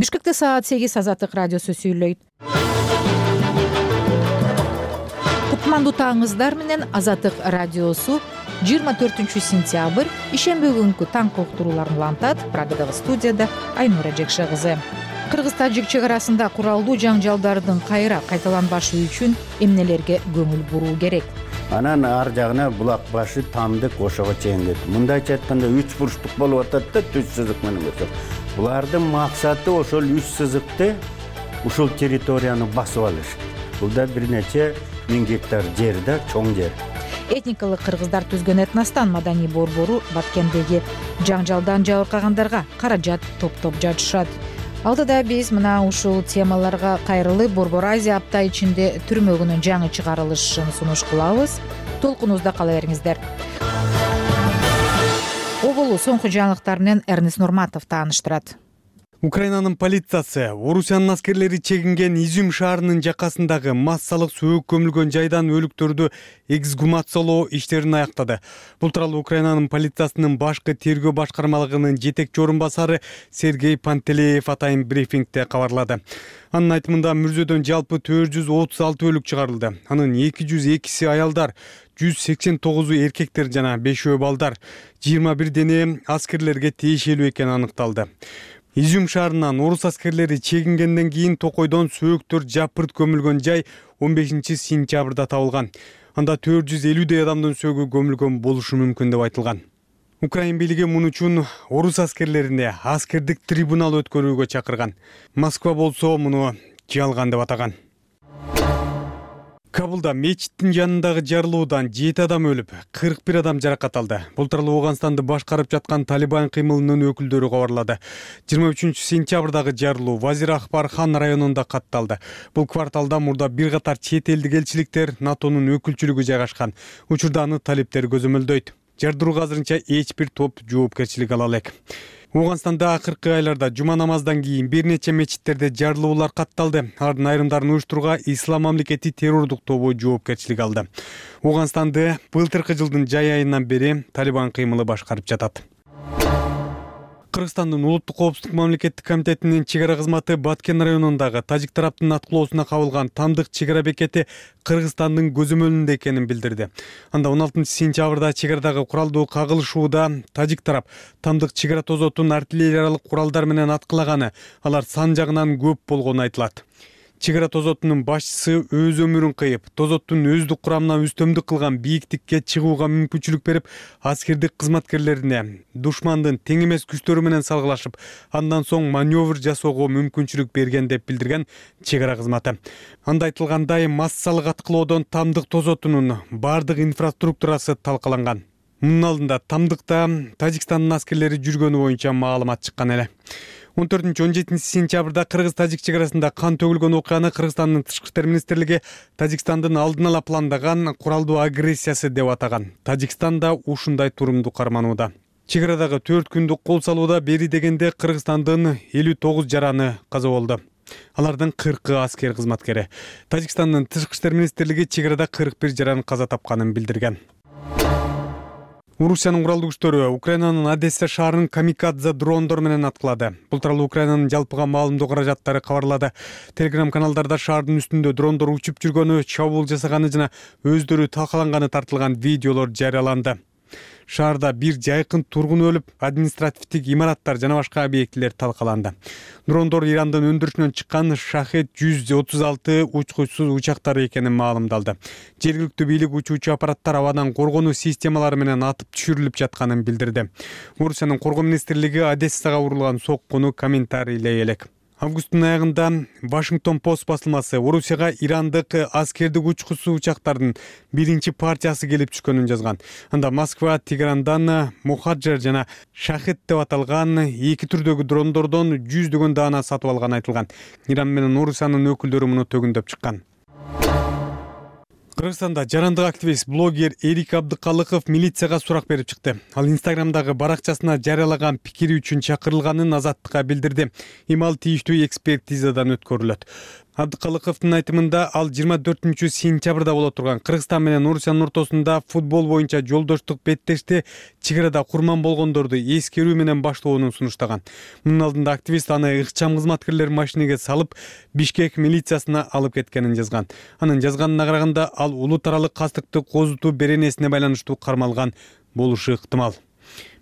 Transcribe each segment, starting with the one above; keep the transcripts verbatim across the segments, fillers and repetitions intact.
Бишкекте саат сегиз Азаттык радиосу сүйлөйт. Кутмандуу таңыңыздар менен Азаттык радиосу жыйырма төртүнчү сентябрь ишемби күнкү таңкы уктурууларын улантат. Прагадагы студияда Айнура Жекше кызы. Кыргыз-тажик чек арасында куралдуу жаңжалдардын кайра кайталанбашы үчүн эмнелерге көңүл буруу керек? Анан ар жагына булак башы, Тамдык, Ошого чейин кетти. Мындайча айтканда үч бурчтук болуп атат да, түз сызык менен көрсөк. Булардын максаты ошол үч сызыкты ушул территорияны басып алыш. Бул да бир нече миң гектар жер да, чоң жер. Этникалык кыргыздар түзгөн этностан маданий борбору Баткендеги жаңжалдан жабыркагандарга каражат топтоп жатышат. Алдыда биз мына ушул темаларга кайрылып Борбор Азия апта ичинде түрмөгүнүн жаңы чыгарылышын сунуш кылабыз. Толкунубузда кала бериңиздер. Оболу соңку жаңылыктар менен Эрнест Нурматов тааныштырат. Украинанын полициясы Орусиянын аскерлери чегинген Изюм шаарынын жакасындагы массалык сөөк көмүлгөн жайдан өлүктөрдү эксгумациялоо иштерин аяктады. Бул тууралуу Украинанын полициясынын башкы тергөө башкармалыгынын жетекчи орун басары Сергей Пантелеев атайын брифингде кабарлады. Анын айтымында мүрзөдөн жалпы төрт жүз отуз алты өлүк чыгарылды. Анын эки жүз экиси аялдар, жүз сексен тогузу эркектер жана бешөө балдар, жыйырма бир дене аскерлерге тиешелүү экени аныкталды. Изюм шаарынан орус аскерлери чегингенден кийин Токойдон сөөктөр жапырт көмүлгөн жай он бешинчи сентябрда табылган. Анда төрт жүз элүүдөй адамдын сөөгү көмүлгөн болушу мүмкүн деп айтылган. Украин бийлиги муну үчүн орус аскерлерине аскердик трибунал өткөрүүгө чакырган. Москва болсо муну жалган деп атаган. Кабулда мечиттин жанындагы жарылуудан жети адам өлүп, кырк бир адам жаракат алды. Бул тууралуу Ооганстанды башкарып жаткан Талибан кыймылынын өкүлдөрү кабарлады. жыйырма үчүнчү сентябрдагы жарылуу Вазир Акбар-хан районунда катталды. Бул кварталда мурда бир катар чет элдик элчиликтер, НАТОнун өкүлчүлүгү жайгашкан. Учурда аны талиптер көзөмөлдөйт. Жардырууга азырынча эч бир топ жоопкерчилик ала элек. Ооганстанда акыркы айларда жума намаздан кийин бир нече мечиттерде жарылуулар катталды. Алардын айрымдарын уюштурууга Ислам мамлекети террордук тобу жоопкерчилик алды. Ооганстанды былтыркы жылдын жай айынан бери Талибан кыймылы башкарып жатат. Кыргызстандын улуттук коопсуздук мамлекеттик комитетинин чек ара кызматы Баткен районундагы тажик тараптын аткылоосуна кабылган Тамдык чек ара бекети Кыргызстандын көзөмөлүндө экенин билдирди. Анда он алтынчы сентябрда чек арадагы куралдуу кагылышууда тажик тарап Тамдык чек ара тозотун артиллериялык куралдар менен аткылаганы, алар сан жагынан көп болгону айтылат. Чек ара тозотунун башчысы өз өмүрүн кыйып, тозоттун өздүк курамына үстөмдүк кылган бийиктикке чыгууга мүмкүнчүлүк берип, аскердик кызматкерлерине душмандын тең эмес күчтөрү менен салгылашып, андан соң маневр жасоого мүмкүнчүлүк берген деп билдирген чек ара кызматы. Анда айтылгандай, массалык аткылоодон Тамдык тозотунун бардык инфраструктурасы талкаланган. Мунун алдында Тамдыкта Тажикстандын аскерлери жүргөнү боюнча маалымат чыккан эле. он төртүнчү он жетинчи сентябрда Кыргыз-Тажик чек арасында кан төгүлгөн окуяны Кыргызстандын тышкы иштер министрлиги Тажикстандын алдын ала пландаган куралдуу агрессиясы деп атаган. Тажикстан да ушундай турумду карманууда. Чек арадагы төрт күндүк кол салууда бери дегенде Кыргызстандын элүү тогуз жараны каза болду. Алардын кыркы аскер кызматкери. Тажикстандын тышкы иштер министрлиги чек арада кырк бир жаран каза тапканын билдирген. Орусиянын куралдуу күчтөрү Украинанын Одесса шаарын камикадзе дрондор менен аткылады. Бул тууралуу Украинанын жалпыга маалымдоо каражаттары кабарлады. Телеграм каналдарда шаардын үстүндө дрондор учуп жүргөнү, чабуул жасаганы жана өздөрү талкаланганы тартылган видеолор жарыяланды. Шаарда бир жайкын тургун өлүп, административдик имараттар жана башка объектилер талкаланды. Дрондор Ирандын өндүрүшүнөн чыккан Шахет жүз отуз алты учкучсуз учактары экенин маалымдалды. Жергиликтүү бийлик учуучу аппараттар абадан коргонуу системалары менен атып түшүрүлүп жатканын билдирди. Орусиянын коргоо министрлиги Одессага урулган соккуну комментарийлей элек. Августтун аягында Вашингтон Пост басылмасы Орусияга ирандык аскердик учкучсуз учактардын биринчи партиясы келип түшкөнүн жазган. Анда Москва, Тегерандан Мухаджер жана Шахет деп аталган эки түрдөгү дрондордон жүздөгөн даана сатып алганы айтылган. Иран менен Орусиянын өкүлдөрү муну төгүндөп чыккан. Кыргызстанда жарандык активист блогер Эрик Абдыкалыков милицияга сурак берип чыкты. Ал Инстаграмдагы баракчасына жарыялаган пикири үчүн чакырылганын Азаттыкка билдирди. Имал тийиштүү экспертизадан өткөрүлөт. Абдыкалыковдун айтымында ал жыйырма төртүнчү сентябрда боло турган Кыргызстан менен Орусиянын ортосунда футбол боюнча жолдоштук беттешти чек арада курман болгондорду эскерүү менен баштоонун сунуштаган. Мунун алдында активист аны ыкчам кызматкерлер машинеге салып Бишкек милициясына алып кеткенин жазган. Анын жазганына караганда ал улут аралык кастыкты козутуу беренесине байланыштуу кармалган болушу ыктымал.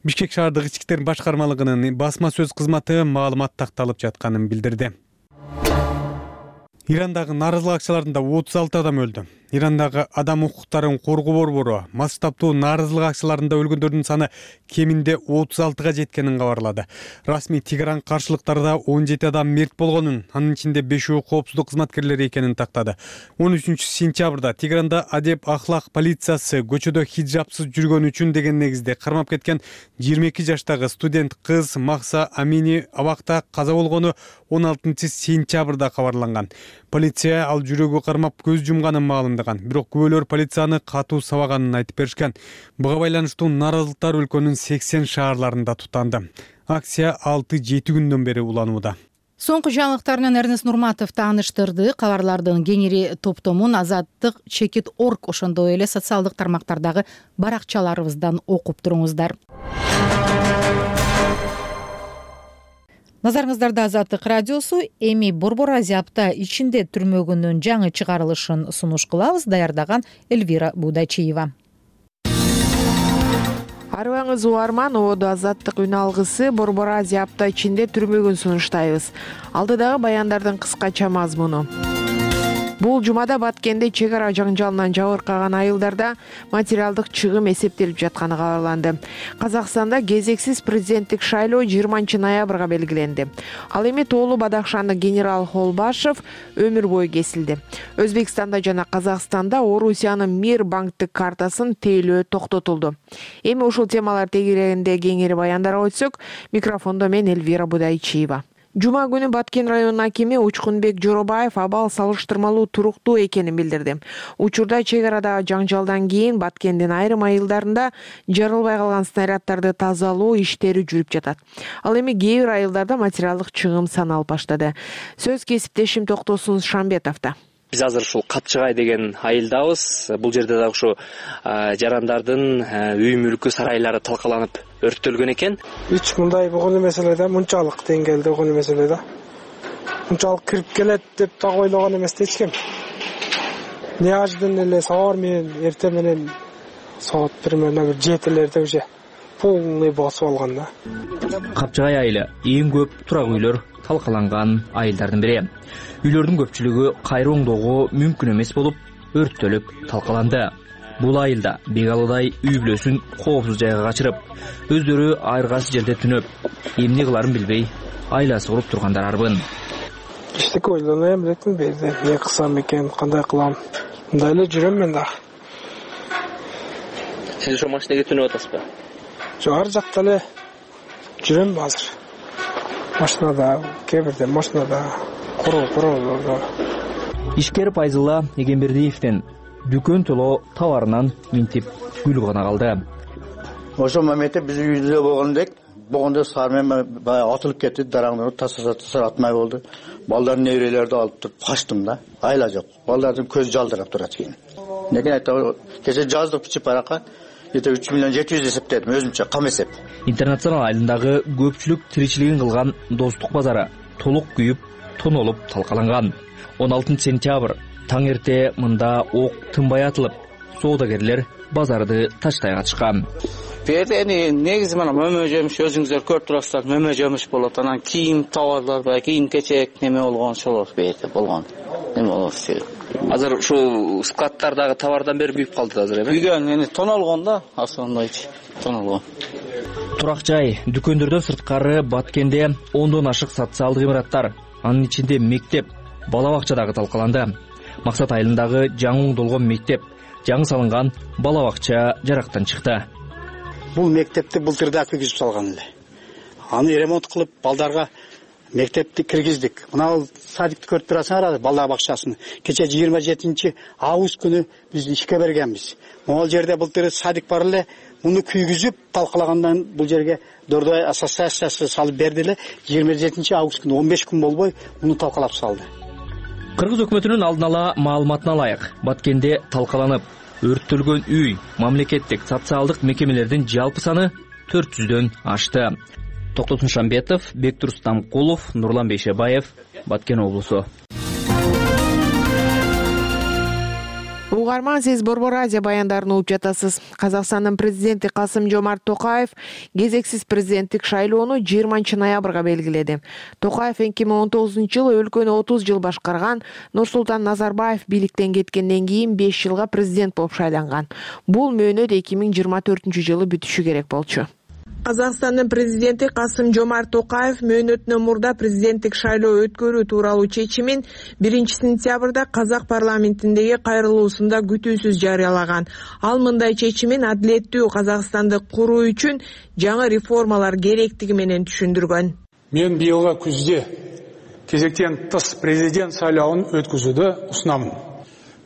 Бишкек шаардык ички иштер башкармалыгынын басма сөз кызматы маалымат такталып жатканын билдирди. Ирандагы нааразылык акцияларында отуз алты адам өлдү. Ирандагы адам укуктарын коргоо борбору масштабтуу нааразылык акцияларында өлгөндөрдүн саны кеминде отуз алтыга жеткенин кабарлады. Расмий Тегеран каршылыктарда он жети адам мерт болгонун, анын ичинде бешөө коопсуздук кызматкерлери экенин тактады. он үчүнчү сентябрда Тегеранда адеп ахлак полициясы көчөдө хиджабсыз жүргөн үчүн деген негизде кармап кеткен жыйырма эки жаштагы студент кыз Махса Амини абакта каза болгону он алтынчы сентябрда кабарланган. Полиция ал жүрөгү кармап көз жумганын маалымдаган. Бирок күбөлөр полицияны катуу сабаганын айтып беришкен. Буга байланыштуу нааразылыктар өлкөнүн сексен шаарларында тутанды. Акция алты жети күндөн бери уланууда. Соңку жаңылыктар менен Эрнест Нурматов тааныштырды. Кабарлардын кеңири топтомун Азаттык чекит точка орг ошондой эле социалдык тармактардагы баракчаларыбыздан окуп туруңуздар. Назарыңыздарда Азаттык радиосу. Эми Борбор Азия апта ичинде түрмөгүнүн жаңы чыгарылышын сунуш кылабыз. Даярдаган Эльвира Будачиева. Арыбаңыз уарман, ободу Азаттык үн алгысы Борбор Азия апта ичинде түрмөгүн сунуштайбыз. Алдыдагы баяндардын кыскача мазмуну. Бул жумада Баткенде чек ара жаңжалынан жабыркаган айылдарда материалдык чыгым эсептелип жатканы кабарланды. Казакстанда кезексиз президенттик шайлоо жыйырманчы ноябрга белгиленди. Ал эми тоолуу Бадахшандык генерал Холбашев өмүр бою кесилди. Өзбекстанда жана Казакстанда Орусиянын Мир банктык картасын тейлөө токтотулду. Эми ушул темалар тегерегинде кеңири баяндарга өтсөк, микрофондо мен Эльвира Будайчиева. Жума күнү Баткен районунун акими Учкунбек Жоробаев абал салыштырмалуу туруктуу экенин билдирди. Учурда чек арадагы жаңжалдан кийин Баткендин айрым айылдарында жарылбай калган снаряддарды тазалоо иштери жүрүп жатат. Ал эми кээ бир айылдарда материалдык чыгым саналып баштады. Сөз кесиптешим Токтосун Шамбетовдо. Биз азыр ушул Капчыгай деген айылдабыз. Бул жерде дагы ушу жарандардын үй мүлкү сарайлары талкаланып өрттөлгөн экен. Эч мындай болгон эмес эле да, мынчалык деңгээлде болгон эмес эле да. Мынчалык кирип келет деп да ойлогон эмес эч ким. Неожиданно эле сабар менен эртең менен саат примерно бир жетилерде уже полный басып алган да. Капчыгай айылы эң көп турак үйлөр талкаланган айылдардын бири. Үйлөрдүн көпчүлүгү кайра оңдоого мүмкүн эмес болуп, өрттөлүп талкаланды. Бул айылда бегалыдай үй бүлөсүн коопсуз жайга качырып, өздөрү айыргасы жерде түнөп, эмне кыларын билбей, айласы куруп тургандар арбын. Эчтеке ойлонойм электим, берде эмне кылсам экен, кандай кылам. Мындай эле жүрөм мен да. Сиз ошо машинеге түнөп атасызбы? Жок, ар жакта эле жүрөм азыр. Машинада, кээ бирде машинада куруу-куруу. Ишкер Пайзылла Эгембердиевден дүкөн толо товарынан минтип гүл гана калды. Ошол моментте биз үйдө болгондек, болгондо сармен баягы атылып кетти, дараңдырып тасаса атмай болду. Балдардын неберелерди алып туруп качтым да. Айла жок. Балдардын көзү жалдырап турат экен. Неге айта, кече жаздык бичип баракка эте үч миллион жети жүз эсептедим, өзүмчө кам эсеп. Интернационал айылындагы көпчүлүк тиричилигин кылган Достук базары толук күйүп, тонолуп талкаланган. он алтынчы сентябрь таң эрте мында ок тынбай атылып, соодагерлер базарды таштай катышкан. Берде эми негизи мына мөмө жемиш, өзүңүздөр көрүп турасыздар, мөмө жемиш болот. Анан кийим товарлар, баягы кийим кечек неме болгон ошолор берде болгон. Эме болот. Азыр ушул складтардагы товардан бери күйүп калды азыр эми. Күйгөн, эми тонолгон да, асондойчу. Тонолгон. Турак жай, дүкөндөрдөн сырткары Баткенде ондон ашык социалдык имараттар, анын ичинде мектеп, бала бакча дагы талкаланды. Максат айылындагы жаңы оңдолгон мектеп, жаңы салынган бала бакча жарактан чыкты. Бул мектепти былтырда киргизип салган эле. Аны ремонт кылып, балдарга мектепти киргиздик. Мына садикти көрүп турасыңар, бала бакчасын. Кече жыйырма жетинчи август күнү биз ишке бергенбиз. Могул жерде былтыр садик бар эле, муну күйгүзүп талкалагандан бул жерге Дордой ассоциациясы салып берди эле. жыйырма жетинчи август күнү он беш күн болбой муну талкалап салды. Кыргыз өкмөтүнүн алдын ала маалыматына ылайык, Баткенде талкаланып өрттөлгөн үй, мамлекеттик социалдык мекемелердин жалпы саны төрт жүздөн ашты. Токтотун Шамбетов, Бектур Стамкулов, Нурлан Бейшебаев, Баткен облусу. Угарман, сиз Борбор Азия баяндарын угуп жатасыз. Казакстандын президенти Касым-Жомарт Токаев кезексиз президенттик шайлоону жыйырманчы ноябрга белгиледи. Токаев эки миң он тогузунчу жылы өлкөнү отуз жыл башкарган Нурсултан Назарбаев бийликтен кеткенден кийин беш жылга президент болуп шайланган. Бул мөөнөт эки миң жыйырма төртүнчү жылы бүтүшү керек болчу. Казакстандын президенти Касым-Жомарт Токаев мөөнөтүнөн мурда президенттик шайлоо өткөрүү тууралуу чечимин биринчи сентябрда казак парламентиндеги кайрылуусунда күтүүсүз жарыялаган. Ал мындай чечимин адилеттүү Казакстанды куруу үчүн жаңы реформалар керектиги менен түшүндүргөн. Мен быйылғы күзде кезектен тыс президент сайлауын өткізуді ұсынамын.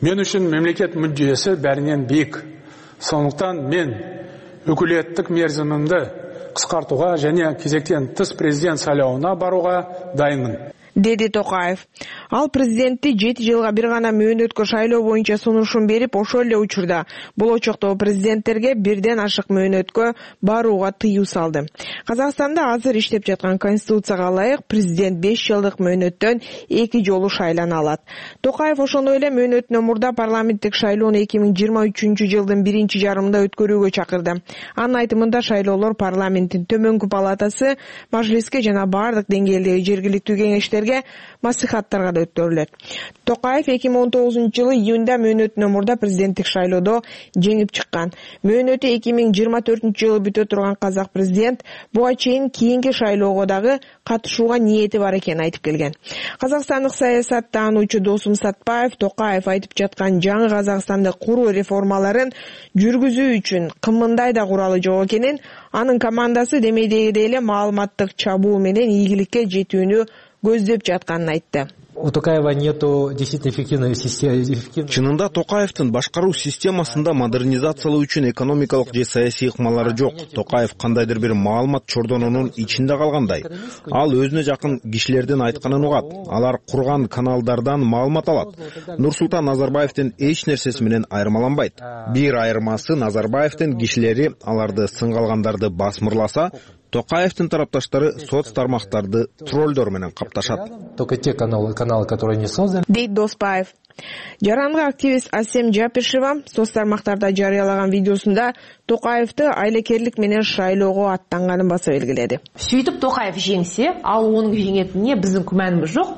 Мен үшін мемлекет мүддесі бәрінен биік. Сондықтан мен өкілеттік мерзімімді қысқартуға және кезектен тыс президент сайлауына баруға дайынмын, деди Токаев. Ал президентти жети жылга бир гана мөөнөткө шайлоо боюнча сунушун берип, ошол эле учурда болочоктогу президенттерге бирден ашык мөөнөткө барууга тыюу салды. Казакстанда азыр иштеп жаткан конституцияга ылайык президент беш жылдык мөөнөттөн эки жолу шайлана алат. Токаев ошондой эле мөөнөтүнөн мурда парламенттик шайлоону эки миң жыйырма үчүнчү жылдын биринчи жарымында өткөрүүгө чакырды. Анын айтымында шайлоолор парламенттин төмөнкү палатасы, мажлиске жана бардык деңгээлдеги жергиликтүү кеңештерге, маслихаттарга да өткөрүлөт. Токаев эки миң он тогузунчу жылы июнда мөөнөтүнөн мурда президенттик шайлоодо жеңип чыккан. Мөөнөтү эки миң жыйырма төртүнчү жылы бүтө турган казак президент буга чейин кийинки шайлоого дагы катышууга ниети бар экенин айтып келген. Казакстандык саясат таануучу Досум Сатпаев Токаев айтып жаткан жаңы Казакстанды куруу реформаларын жүргүзүү үчүн кымындай да куралы жок экенин, анын командасы демейдегидей эле маалыматтык чабуу менен ийгиликке жетүүнү көздөп жатканын айтты. У Токаева нету действительно эффективной системы. Чынында Токаевдин башкаруу системасында модернизациялоо үчүн экономикалык же саясий ыкмалары жок. Токаев кандайдыр бир маалымат чордонунун ичинде калгандай. Ал өзүнө жакын кишилердин айтканын угат. Алар курган каналдардан маалымат алат. Нурсултан Назарбаевдин эч нерсеси менен айырмаланбайт. Бир айырмасы Назарбаевдин кишилери аларды сынгалгандарды басмырласа, Токаевдин тарапташтары соц тармактарды троллдор менен капташат. Только те каналы, каналы, которые не созданы. Дейт Доспаев. Жарандык активист Асем Жапишева соц тармактарда жарыялаган видеосунда Токаевди айлекерлик менен шайлоого аттанганын баса белгиледи. Сөйтүп Токаев жеңсе, ал онун жеңетине биздин күмөнүбүз жок.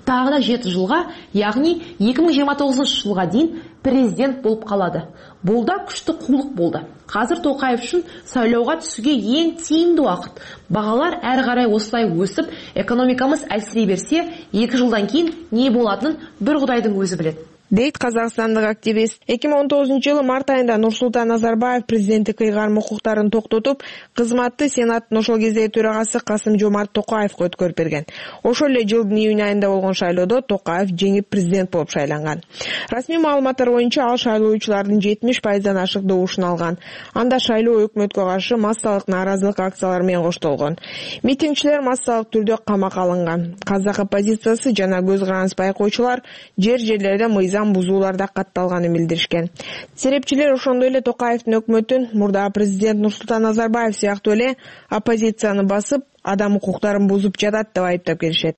Тагы да жети жылга, яғни эки миң жыйырма тогузунчу жылга дейин президент болуп калады. Бул да күчтүү кулдук болду. Казыр Токаев үчүн сайлоого түсүүгө эң тийимдүү убакыт. Багалар ары карай осулай өсүп, экономикамыз әлсирей берсе, эки жылдан кийин не болатынын бир Кудайдын өзү билет, дейт казакстандык активист. эки миң он тогузунчу жылы март айында Нурсултан Назарбаев президенттик ыйгарым укуктарын токтотуп, кызматты Сенаттын ошол кездеги төрагасы Касым-Жомарт Токаевге өткөрүп берген. Ошол эле жылдын июнь айында болгон шайлоодо Токаев жеңип президент болуп шайланган. Расмий маалыматтар боюнча ал шайлоочулардын жетимиш пайыздан ашык добушун алган. Анда шайлоо өкмөткө каршы массалык нааразылык акциялары менен коштолгон. Митингчилер массалык түрдө камакка алынган. Казак оппозициясы жана көз караныс байкоочулар жер жерлерде мыйзам бузууларда катталганын билдиришкен. Серепчилер ошондой эле Токаевдин өкмөтүн мурда президент Нурсултан Назарбаев сыяктуу эле оппозицияны басып, адам укуктарын бузуп жатат деп айыптап келишет.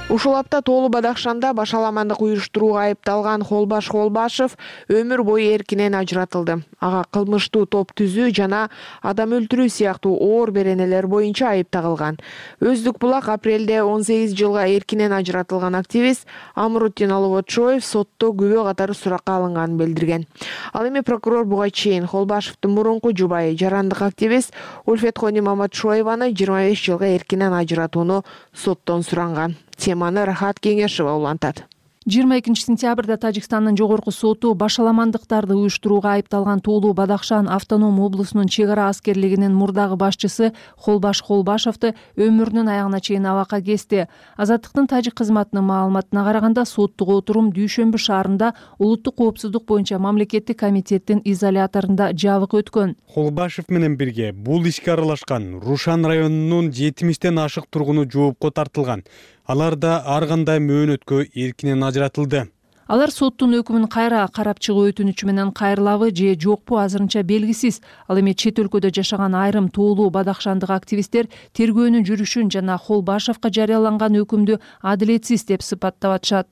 Ушул апта Тоолу Бадахшанда башаламандык уюштурууга айыпталган Холбаш Холбашев өмүр бою эркинен ажыратылды. Ага кылмыштуу топ түзүү жана адам өлтүрүү сыяктуу оор беренелер боюнча айып тагылган. Өздүк булак апрелде он сегиз жылга эркинен ажыратылган активист Амрутдин Алыботчоев сотто күбө катары суракка алынганын билдирген. Ал эми прокурор буга чейин Холбашевдин мурунку жубайы жарандык активист Ульфетхони Маматшоеваны жыйырма беш жылга эркинен ажыратууну соттон суранган. Теманы Рахат Кеңешева улантат. жыйырма экинчи сентябрда Тажикстандын жогорку соту башаламандыктарды уюштурууга айыпталган Тоолуу Бадахшан автоном облусунун чек ара аскерлигинин мурдагы башчысы Холбаш Холбашевди өмүрүнүн аягына чейин абакка кести. Азаттыктын тажик кызматынын маалыматына караганда соттук отурум Дүйшөмбү шаарында улуттук коопсуздук боюнча мамлекеттик комитеттин изоляторунда жабык өткөн. Холбашев менен бирге бул ишке аралашкан Рушан районунун жетимиштен ашык тургуну жоопко тартылган. Алар да ар кандай мөөнөткө эркинен ажыратылды. Алар соттун өкүмүн кайра карап чыгуу өтүнүчү менен кайрылабы же жокпу азырынча белгисиз. Ал эми чет өлкөдө жашаган айрым Тоолуу Бадахшандык активисттер тергөөнүн жүрүшүн жана Холбашевка жарыяланган өкүмдү адилетсиз деп сыпаттап атышат.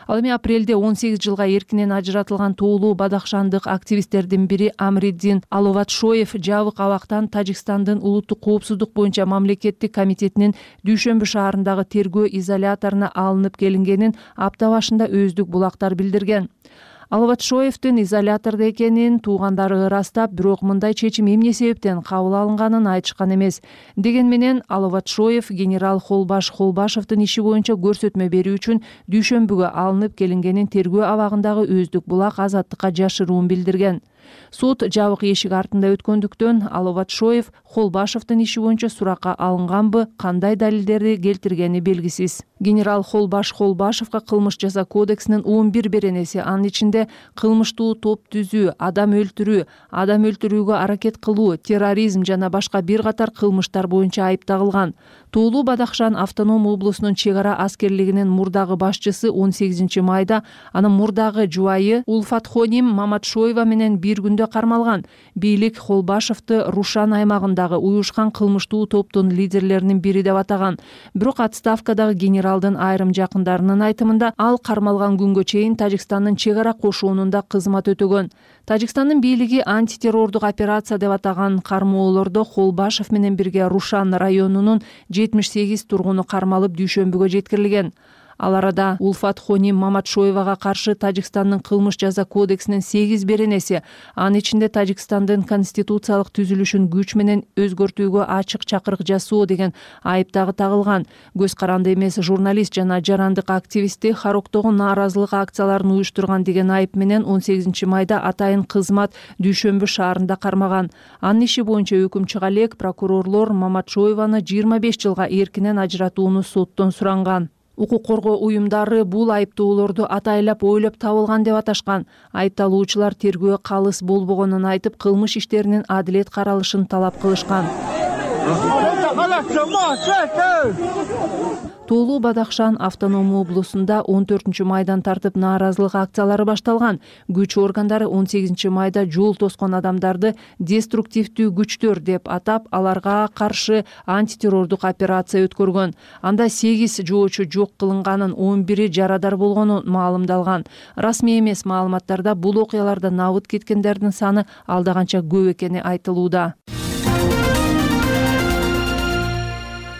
Ал эми апрелде он сегиз жылга эркинен ажыратылган Тоолуу Бадахшандык активисттердин бири Амриддин Аловатшоев жабык абактан Тажикстандын улуттук коопсуздук боюнча мамлекеттик комитетинин Дүйшөмбү шаарындагы тергөө изоляторуна алынып келингенин апта башында өздүк булактар билдирген. Аловатшоевдин изолятордо экенин туугандары ырастап, бирок мындай чечим эмне себептен кабыл алынганын айтышкан эмес. Деген менен Аловатшоев генерал Холбаш Холбашевдин иши боюнча көрсөтмө берүү үчүн Дүйшөмбүгө алынып келингенин тергөө абагындагы өздүк булак Азаттыкка жашыруун билдирген. Суд жабык эшик артында өткөндүктөн Аловатшоев Холбашевдин иши боюнча суракка алынганбы, кандай далилдерди келтиргени белгисиз. Генерал Холбаш Холбашевга кылмыш жаза кодексинин он бир беренеси, анын ичинде кылмыштуу топ түзүү, адам өлтүрүү, адам өлтүрүүгө аракет кылуу, терроризм жана башка бир катар кылмыштар боюнча айып тагылган. Тоолуу Бадахшан автоном облусунун чек ара аскерлигинин мурдагы башчысы он сегизинчи майда анын мурдагы жубайы Улфатхоним Маматшоева менен бир күндө кармалган. Бийлик Холбашевди Рушан аймагындагы уюшкан кылмыштуу топтун лидерлеринин бири деп атаган. Бирок отставкадагы генералдын айрым жакындарынын айтымында ал кармалган күнгө чейин Тажикстандын чек ара кошуунунда кызмат өтөгөн. Тажикстандын бийлиги антитеррордук операция деп атаган кармоолордо Холбашев менен бирге Рушан районунун жетимиш сегиз тургуну кармалып Дүйшөмбүгө жеткирилген. Ал арада Улфатхоним Маматшоевага каршы Тажикстандын кылмыш жаза кодексинин сегиз беренеси, анын ичинде Тажикстандын конституциялык түзүлүшүн күч менен өзгөртүүгө ачык чакырык жасоо деген айып дагы тагылган. Көз каранды эмес журналист жана жарандык активисти Хароктогу нааразылык акцияларын уюштурган деген айып менен он сегизинчи майда атайын кызмат Дүйшөмбү шаарында кармаган. Анын иши боюнча өкүм чыга элек прокурорлор Маматшоеваны жыйырма беш жылга эркинен ажыратууну соттон суранган. Укук коргоо уюмдары бул айыптоолорду атайлап ойлоп табылган деп аташкан. Айыпталуучулар тергөө калыс болбогонун айтып, кылмыш иштеринин адилет каралышын талап кылышкан. Тоолуу Бадахшан автоном облусунда он төртүнчү майдан тартып нааразылык акциялары башталган. Күч органдары он сегизинчи майда жол тоскон адамдарды деструктивдүү күчтөр деп атап, аларга каршы антитеррордук операция өткөргөн. Анда сегиз жоочу жок кылынганын, он бири жарадар болгону маалымдалган. Расмий эмес маалыматтарда бул окуяларда набыт кеткендердин саны алда канча көп экени айтылууда.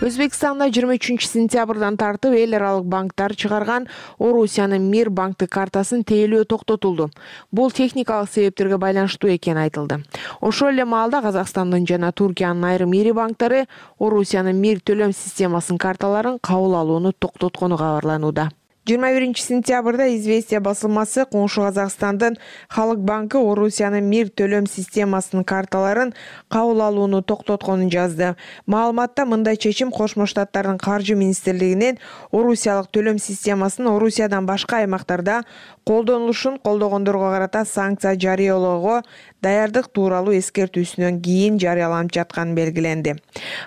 Өзбекстанда жыйырма үчүнчү сентябрдан тартып эл аралык банктар чыгарган Орусиянын Мир банктык картасын тейлөө токтотулду. Бул техникалык себептерге байланыштуу экени айтылды. Ошол эле маалда Казакстандын жана Туркиянын айрым ири банктары Орусиянын Мир төлөм системасынын карталарын кабыл алууну токтоткону кабарланууда. жыйырма биринчи сентябрда «Известия» басылмасы коңшу Казакстандын Халык банкы Орусиянын Мир төлөм системасынын карталарын кабыл алууну токтотконун жазды. Маалыматта мындай чечим Кошмо Штаттардын каржы министрлигинин Орусиялык төлөм системасын Орусиядан башка аймактарда колдонулушун колдогондорго карата санкция жарыялоого даярдык тууралуу эскертүүсүнөн кийин жарыяланып жатканы белгиленди.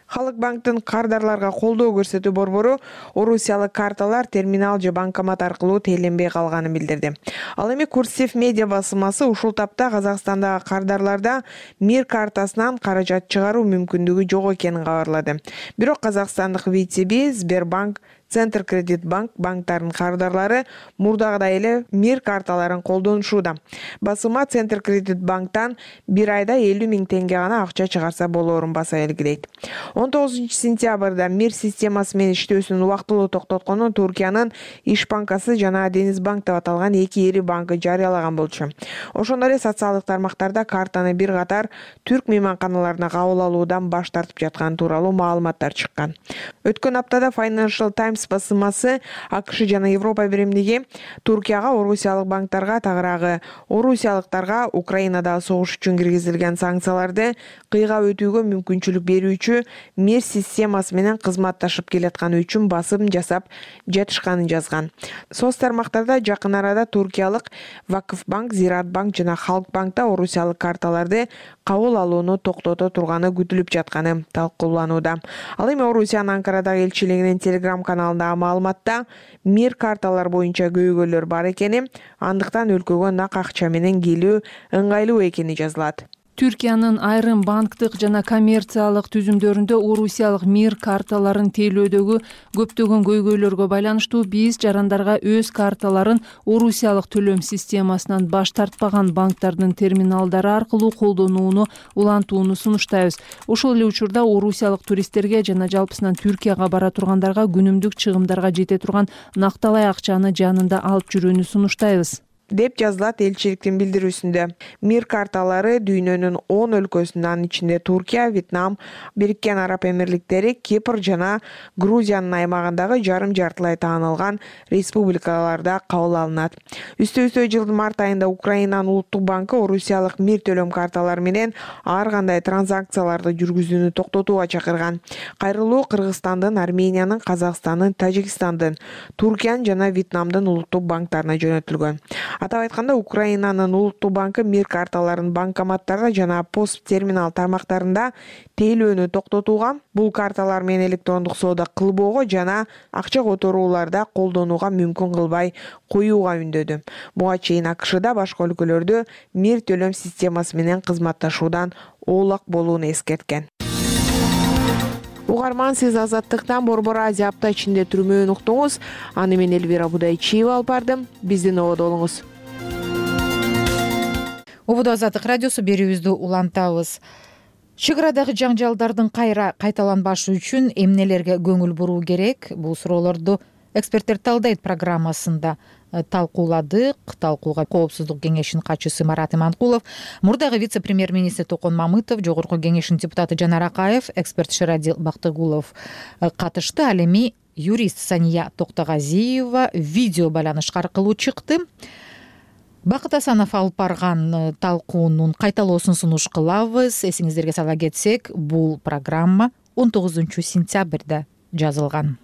Халык банктын кардарларга колдоо көрсөтүү борбору Орусиялык карталар терминал же банкомат аркылуу тейлөнбөй калганын билдирди. Ал эми Курсив медиа басылмасы ушул тапта Казакстандагы кардарларда Мир картасынан каражат чыгаруу мүмкүндүгү жок экенин кабарлады. Бирок казакстандык ВТБ, Сбербанк, Центр Кредит Банк банктарынын кардарлары мурдагыдай эле Мир карталарын колдонушууда. Басылма Центр Кредит Банктан бир айда элүү миң теңге гана акча чыгарса болоорун баса белгилейт. он тогузунчу сентябрда Мир системасы менен иштөөсүн убактылуу токтотконун Туркиянын Иш банкасы жана Дениз банк деп аталган эки ири банкы жарыялаган болчу. Ошондой эле социалдык тармактарда картаны бир катар түрк мейманканаларына кабыл алуудан баш тартып жатканы тууралуу маалыматтар чыккан. Өткөн аптада Financial Times баспасымасы АКШ жана Европа биримдиги Туркияга, орусиялык банктарга, тагыраагы орусиялыктарга Украинадагы согуш үчүн киргизилген санкцияларды кыйгап өтүүгө мүмкүнчүлүк берүүчү мер системасы менен кызматташып келатканы үчүн басым жасап жатышканын жазган. Соц тармактарда жакын арада туркиялык Вакыфбанк, Зиратбанк жана Халкбанкта орусиялык карталарды кабыл алууну токтото турганы күтүлүп жатканы талкууланууда. Ал эми Орусиянын Анкарадагы элчилигинин Телеграм каналындагы маалыматта мир карталар боюнча көйгөйлөр бар экени, андыктан өлкөгө нак акча менен келүү ыңгайлуу экени жазылат. Түркиянын айрым банктык жана коммерциялык түзүмдөрүндө орусиялык мир карталарын тейлөөдөгү көптөгөн көйгөйлөргө байланыштуу биз жарандарга өз карталарын орусиялык төлөм системасынан баш тартпаган банктардын терминалдары аркылуу колдонууну улантууну сунуштайбыз. Ошол эле учурда орусиялык туристтерге жана жалпысынан Түркияга бара тургандарга күнүмдүк чыгымдарга жете турган накталай акчаны жанында алып жүрүүнү сунуштайбыз деп жазылат элчиликтин билдирүүсүндө. Мир карталары дүйнөнүн он өлкөсүнүн ичинде Туркия, Вьетнам, Бириккен Араб Эмирликтери, Кипр жана Грузиянын аймагындагы жарым-жартылай таанылган республикаларда кабыл алынат. Үстө-үстө жылдын март айында Украинанын улуттук банкы орусиялык мир төлөм карталары менен ар кандай транзакцияларды жүргүзүүнү токтотууга чакырган. Кайрылуу Кыргызстандын, Армениянын, Казакстандын, Тажикстандын, Туркиянын жана Вьетнамдын улуттук банктарына жөнөтүлгөн. Атап айтканда, Украинанын улуттук банкы мир карталарын банкоматтарда жана пост терминал тармактарында тейлөөнү токтотууга, бул карталар менен электрондук соода кылбоого жана акча которууларда колдонууга мүмкүн кылбай коюуга үндөдү. Буга чейин АКШда башка өлкөлөрдө мир төлөм системасы менен кызматташуудан оолак болууну эскерткен. Угарман, сиз Азаттыктан Борбор Азия апта ичинде түрмөөнү уктуңуз. Аны мен Элвира Будайчиева алып бардым. Биздин ободо болуңуз. Ободо Азаттык радиосу берүүбүздү улантабыз. Чек арадагы жаңжалдардын кайра кайталанбашы үчүн эмнелерге көңүл буруу керек? Бул суроолорду эксперттер талдайт программасында талкууладык. Талкууга Коопсуздук кеңешинин катчысы Марат Иманкулов, мурдагы вице-премьер-министр Токон Мамытов, Жогорку кеңештин депутаты Жанар Акаев, эксперт Шерадил Бактыгулов катышты. Ал эми юрист Сания Токтогазиева видео байланыш аркылуу чыкты. Бакыт Асанов алып барган талкуунун кайталоосун сунуш кылабыз. Эсиңиздерге сала кетсек, бул программа он тогузунчу сентябрда жазылган.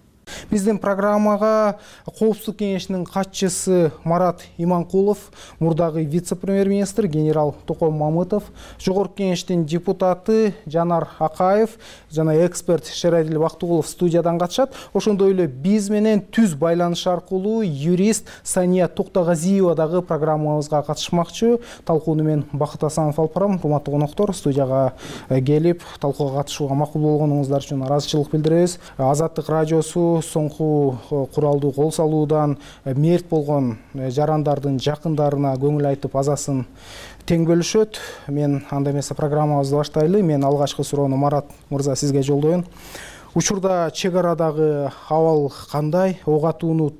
Биздин программага Коопсуздук кеңешинин катчысы Марат Иманкулов, мурдагы вице-премьер-министр генерал Токон Мамытов, Жогорку кеңештин депутаты Жанар Акаев жана эксперт Шерадил Бактыгулов студиядан катышат. Ошондой эле биз менен түз байланыш аркылуу юрист Сания Токтогазиева дагы программабызга катышмакчы. Талкууну мен Бакыт Асанов алып барам. Урматтуу коноктор, студияга келип талкууга катышууга макул болгонуңуздар үчүн ыраазычылык билдиребиз. Азаттык радиосу соңку куралдуу кол салуудан мерт болгон жарандардын жакындарына көңүл айтып азасын тең бөлүшөт. Мен анда эмесе программабызды баштайлы. Мен алгачкы суроону Марат мырза сизге жолдоюн. Учурда чек арадагы абал кандай? Ок атууну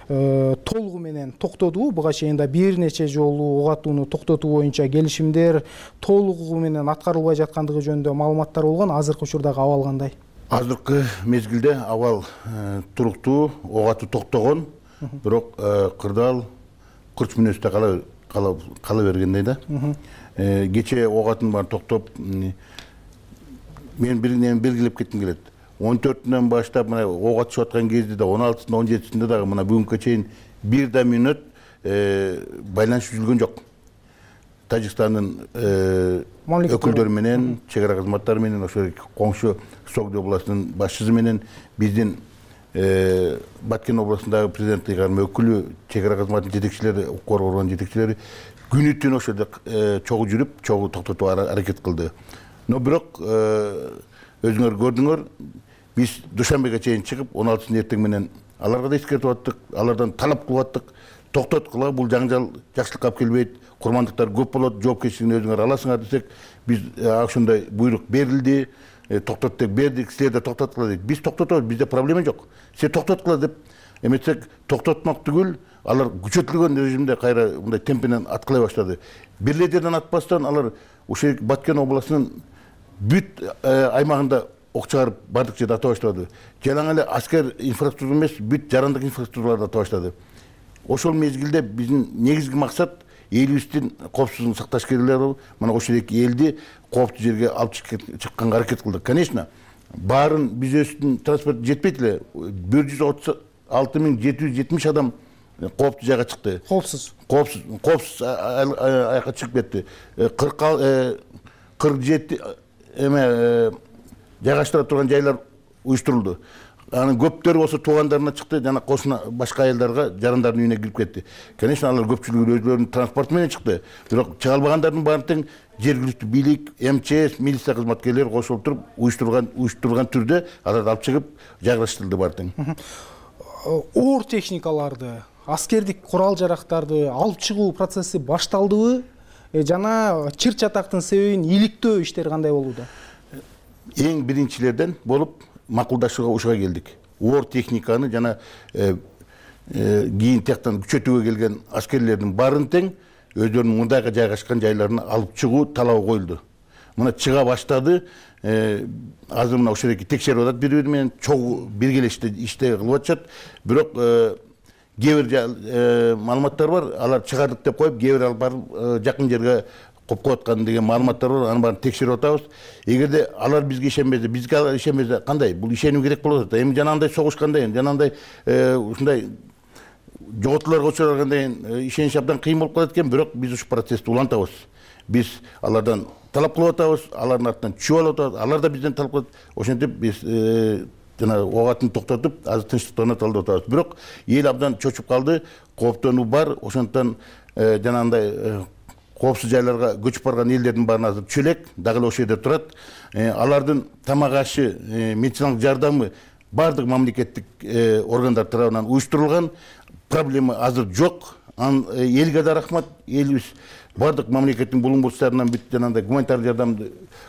толугу менен токтодубу? Буга чейин да бир нече жолу ок атууну токтотуу боюнча келишимдер толугу менен аткарылбай жаткандыгы жөнүндө маалыматтар болгон. Азыркы учурдагы абал кандай? Азыркы мезгилде абал туруктуу, ок атуу токтогон, бирок кырдаал кырч мүнөздө кала кала бергендей да. Кече ок атуун баарын токтоп, мен бир нерсени белгилеп кетким келет. он төртүнөн баштап мына ок атышып аткан кезде да он алтысында он жетисинде дагы мына бүгүнкү чейин бир да мүнөт байланыш үзүлгөн жок. Тажикстандын өкүлдөрү менен, чек ара кызматтары менен, ошо коңшу Согди областынын башчысы менен, биздин Баткен областындагы президент ыйгарым өкүлү, чек ара кызматынын жетекчилери, укук органынын жетекчилери күнү түн ошо жерде чогуу жүрүп, чогуу токтотууга аракет кылды. Но бирок өзүңөр көрдүңөр, биз душанбеге чейин чыгып, он алтысында эртең менен аларга да эскертип аттык, алардан талап кылып аттык. Токтоткула, бул жаңжал жакшылыкка алып келбейт, курмандыктар көп болот, жоопкерчилигин өзүңөр аласыңар десек, биз ошондой буйрук берилди, токтот деп бердик, силер да токтоткула дейт. Биз токтотобуз, бизде проблема жок. Силер токтоткула деп эметсек, токтотмак түгүл, алар күчөтүлгөн режимде кайра мындай темпинен аткылай баштады. Бир эле жерден атпастан алар ошо Баткен областынын бүт аймагында ок чыгарып бардык жерде ата баштады. Жалаң эле аскер инфраструктура эмес, бүт жарандык инфраструктураларды ата баштады. Ошол мезгилде биздин негизги максат элибиздин коопсуздугун сакташ керектер болуп, мына ошол эки элди кооптуу жерге алып чыкканга аракет кылдык. Конечно, баарын бизнестин транспорту жетпейт эле. бир жүз отуз алты миң жети жүз жетимиш адам кооптуу жайга чыкты. Коопсуз. Коопсуз, коопсуз аяка чыгып кетти. кырк жети эме жайгаштыра турган жайлар уюштурулду. Анын көптөрү болсо туугандарына чыкты, жана кошуна башка айылдарга, жарандардын үйүнө кирип кетти. Конечно, алар көпчүлүгү өзлөрүнүн транспорту менен чыкты. Бирок чыга албагандардын баарын тең жергиликтүү бийлик, эм че эс, милиция кызматкерлери кошулуп туруп, уюштурган уюштурган түрдө аларды алып чыгып жайгаштырылды баары тең. Оор техникаларды, аскердик курал жарактарды алып чыгуу процесси башталдыбы? Жана чыр чатактын себебин иликтөө иштери кандай болууда? Эң биринчилерден болуп макулдашууга ушуга келдик. Оор техниканы жана кийин тияктан күчөтүүгө келген аскерлердин баарын тең өздөрүнүн мындайга жайгашкан жайларына алып чыгуу талабы коюлду. Мына чыга баштады. Азыр мына ошол эки текшерип атат, бири-бири менен чогуу биргелеште иште кылып атышат. Бирок кээ бир маалыматтар бар, алар чыгардык деп коюп, кээ бир алып барып жакын жерге коюп кояткан деген маалыматтар бар. Аны баарын текшерип атабыз. Эгерде алар бизге ишенбесе, бизге алар ишенбесе кандай? Бул ишенүү керек болот. Эми жанагындай согушкандай, жанагындай ушундай жоготууларга учураганда ишениш абдан кыйын болуп калат экен, бирок биз ушул процессти улантабыз. Биз алардан талап кылып атабыз, алардын артынан чүп алып атабыз, алар да бизден талап кылат. Ошентип биз жана ок атын токтотуп, азыр тынчтыктарына талдап атабыз. Бирок эл абдан чочуп калды, кооптонуу бар. Ошондуктан жанагындай коопсуз жайларга көчүп барган элдердин баарын азыр чөлек, дагы эле ошол жерде турат. Алардын тамак ашы, медициналык жардамы бардык мамлекеттик органдар тарабынан уюштурулган. Проблема азыр жок. Элге да рахмат. Элибиз бардык мамлекеттин булуң-бурчтарынан бүт жанагындай гуманитардык жардамды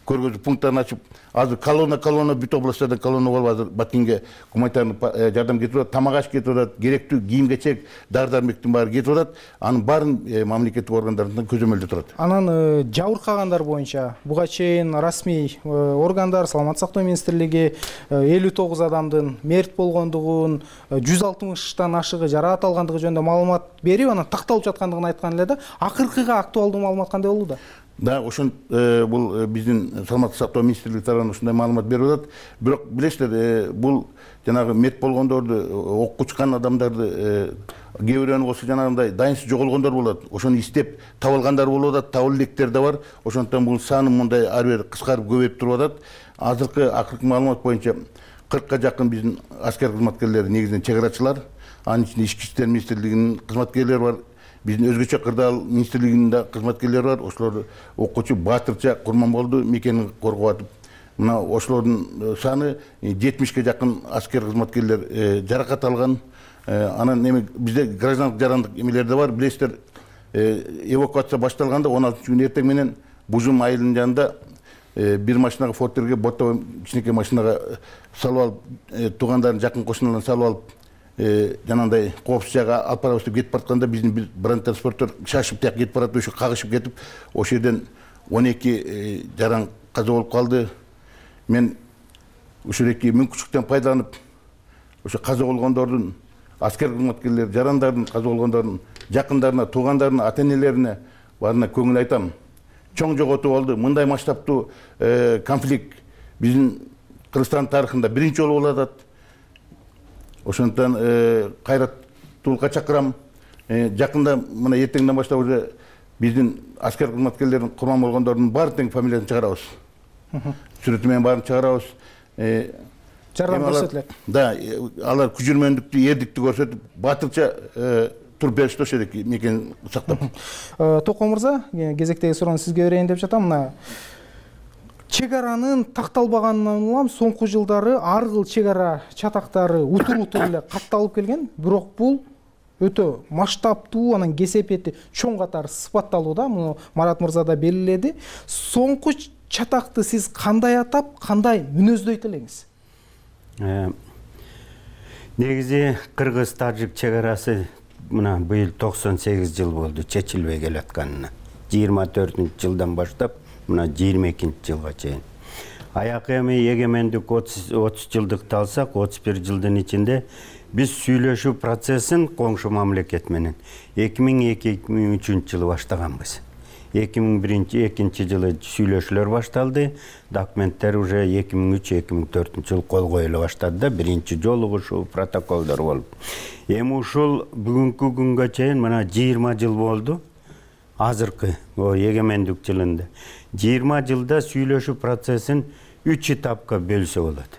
көргөзүү пункттарын ачып, азыр колонна колонна бүт областтардан колонна болуп азыр Баткенге гуманитардык жардам кетип атат, тамак аш кетип атат, керектүү кийим-кечек, дары-дармектин баары кетип атат. Анын баарын мамлекеттик органдардан көзөмөлдө турат. Анан жабыркагандар боюнча буга чейин расмий органдар, саламаттык сактоо министрлиги элүү тогуз адамдын мерт болгондугун, жүз алтымыштан ашыгы жараат алгандыгы жөнүндө маалымат берип, анан такталып жаткандыгын айткан эле да. Акыркыга актуалдуу маалымат кандай болууда? Да, ошон бул биздин саламаттык сактоо министрлиги тарабынан ушундай маалымат берип атат. Бирок билесиздер, бул жанагы мерт болгондорду, окко учкан адамдарды, кээ бирөөнү болсо жанагындай дайынсыз жоголгондор болот. Ошону издеп таба алгандар болуп атат, таба элекдер да бар. Ошондуктан бул саны мындай ар бир кыскарып көбөйүп туруп атат. Азыркы акыркы маалымат боюнча кыркка жакын биздин аскер кызматкерлери, негизинен чек арачылар, анын ичинде ички иштер министрлигинин кызматкерлери бар. Биздин өзгөчө кырдаал министрлигинин да кызматкерлери бар. Ошолор окуучу Баатырча Курманболду мекенин коргоп атып, мына ошолордун саны жетимишке жакын аскер кызматкерлер жаракат алган. Анан эми бизде граждандык жарандык эмелер да бар. Билесиздер, эвакуация башталганда он алтынчы күнү эртең менен Бужум айылынын жанында бир машинага фортерге, боттогой кичинекей машинага салып алып, туугандарын, жакын кошуналарын салып алып, жанагындай коопсуз жайга алып барабыз деп кетип баратканда биздин бир бронетранспортер шашып тияк кетип барат, ошо кагышып кетип, ошол жерден он эки жаран каза болуп калды. Мен ушул эки мүмкүнчүлүктөн пайдаланып, ошо каза болгондордун, аскер кызматкерлер, жарандардын каза болгондордун жакындарына, туугандарына, ата-энелерине баарына көңүл айтам. Чоң жоготуу болду. Мындай масштабтуу конфликт биздин Кыргызстан тарыхында биринчи жолу болуп атат. Ошондуктан кайраттуулукка чакырам. Жакында мына эртеңден баштап уже биздин аскер кызматкерлердин курман болгондордун баарын тең фамилиясын чыгарабыз. Сүрөтү менен баарын чыгарабыз. Жардам көрсөтүлөт. Да, алар күжүрмөндүктү, эрдикти көрсөтүп, батырча туруп беришти ошол эки мекен сактап. Токон мырза, кезектеги суроону сизге берейин деп жатам. Мына чек аранын такталбаганынан улам соңку жылдары ар кыл чек ара чатактары утур-утур эле катталып келген, бирок бул өтө масштабтуу, анан кесепети чоң катары сыпатталууда. Муну Марат мырза да белгиледи. Соңку чатакты сиз кандай атап, кандай мүнөздөйт элеңиз? Негизи кыргыз-тажик чек арасы мына быйыл токсон сегиз жыл болду чечилбей келатканына. жыйырма төртүнчү жылдан баштап мына жыйырма экинчи жылга чейин. аякы эми эгемендик отуз жылдыкты алсак, отуз бир жылдын ичинде биз сүйлөшүү процессин коңшу мамлекет менен эки миң эки эки миң үчүнчү жылы баштаганбыз. эки миң биринчи экинчи жылы сүйлөшүүлөр башталды. Документтер уже эки миң үч эки миң төртүнчү жылы кол коюла баштады да, биринчи жолугушуу протоколдор болуп. Эми ушул бүгүнкү күнгө чейин мына жыйырма жыл болду. Азыркы эгемендик жылында жыйырма жылда сүйлөшүү процессин үч этапка бөлсө болот.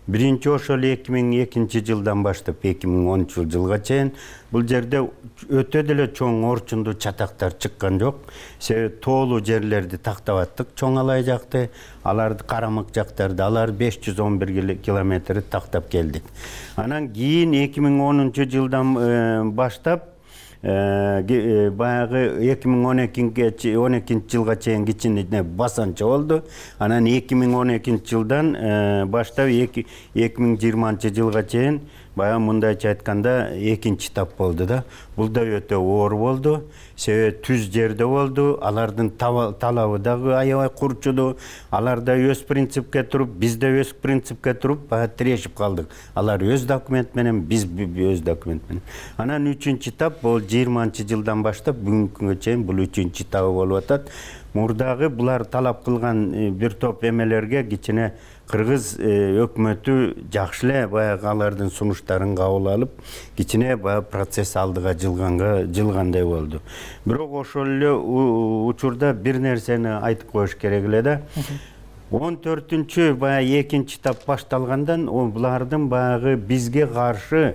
Биринчи ошол эки миң экинчи жылдан баштап эки миң онунчу жылга чейин бул жерде өтө деле чоң орчундуу чатактар чыккан жок. Себеби тоолуу жерлерди тактап аттык, чоң алай жакты, аларды карамык жактарды, алар беш жүз он бир километрди тактап келдик. Анан кийин эки миң онунчу жылдан баштап баягы эки миң он экинчи жылга чейин кичине басанча болду. Анан эки миң он экинчи жылдан баштап эки миң жыйырманчы жылга чейин баягы мындайча айтканда экинчи этап болду да. Бул да өтө оор болду. Себеби түз жерде болду. Алардын талабы дагы аябай курчуду. Алар да өз принципке туруп, биз да өз принципке туруп, баягы тирешип калдык. Алар өз документ менен, биз өз документ менен. Анан үчүнчү этап бул жыйырманчы жылдан баштап бүгүнкү күнгө чейин бул үчүнчү этабы болуп атат. Мурдагы булар талап кылган бир топ эмелерге кичине кыргыз өкмөтү жакшы эле баягы алардын сунуштарын кабыл алып, кичине баягы процесс алдыга жылганга жылгандай болду. Бирок ошол эле учурда бир нерсени айтып коюш керек эле да. он төртүнчү баягы экинчи этап башталгандан булардын баягы бизге каршы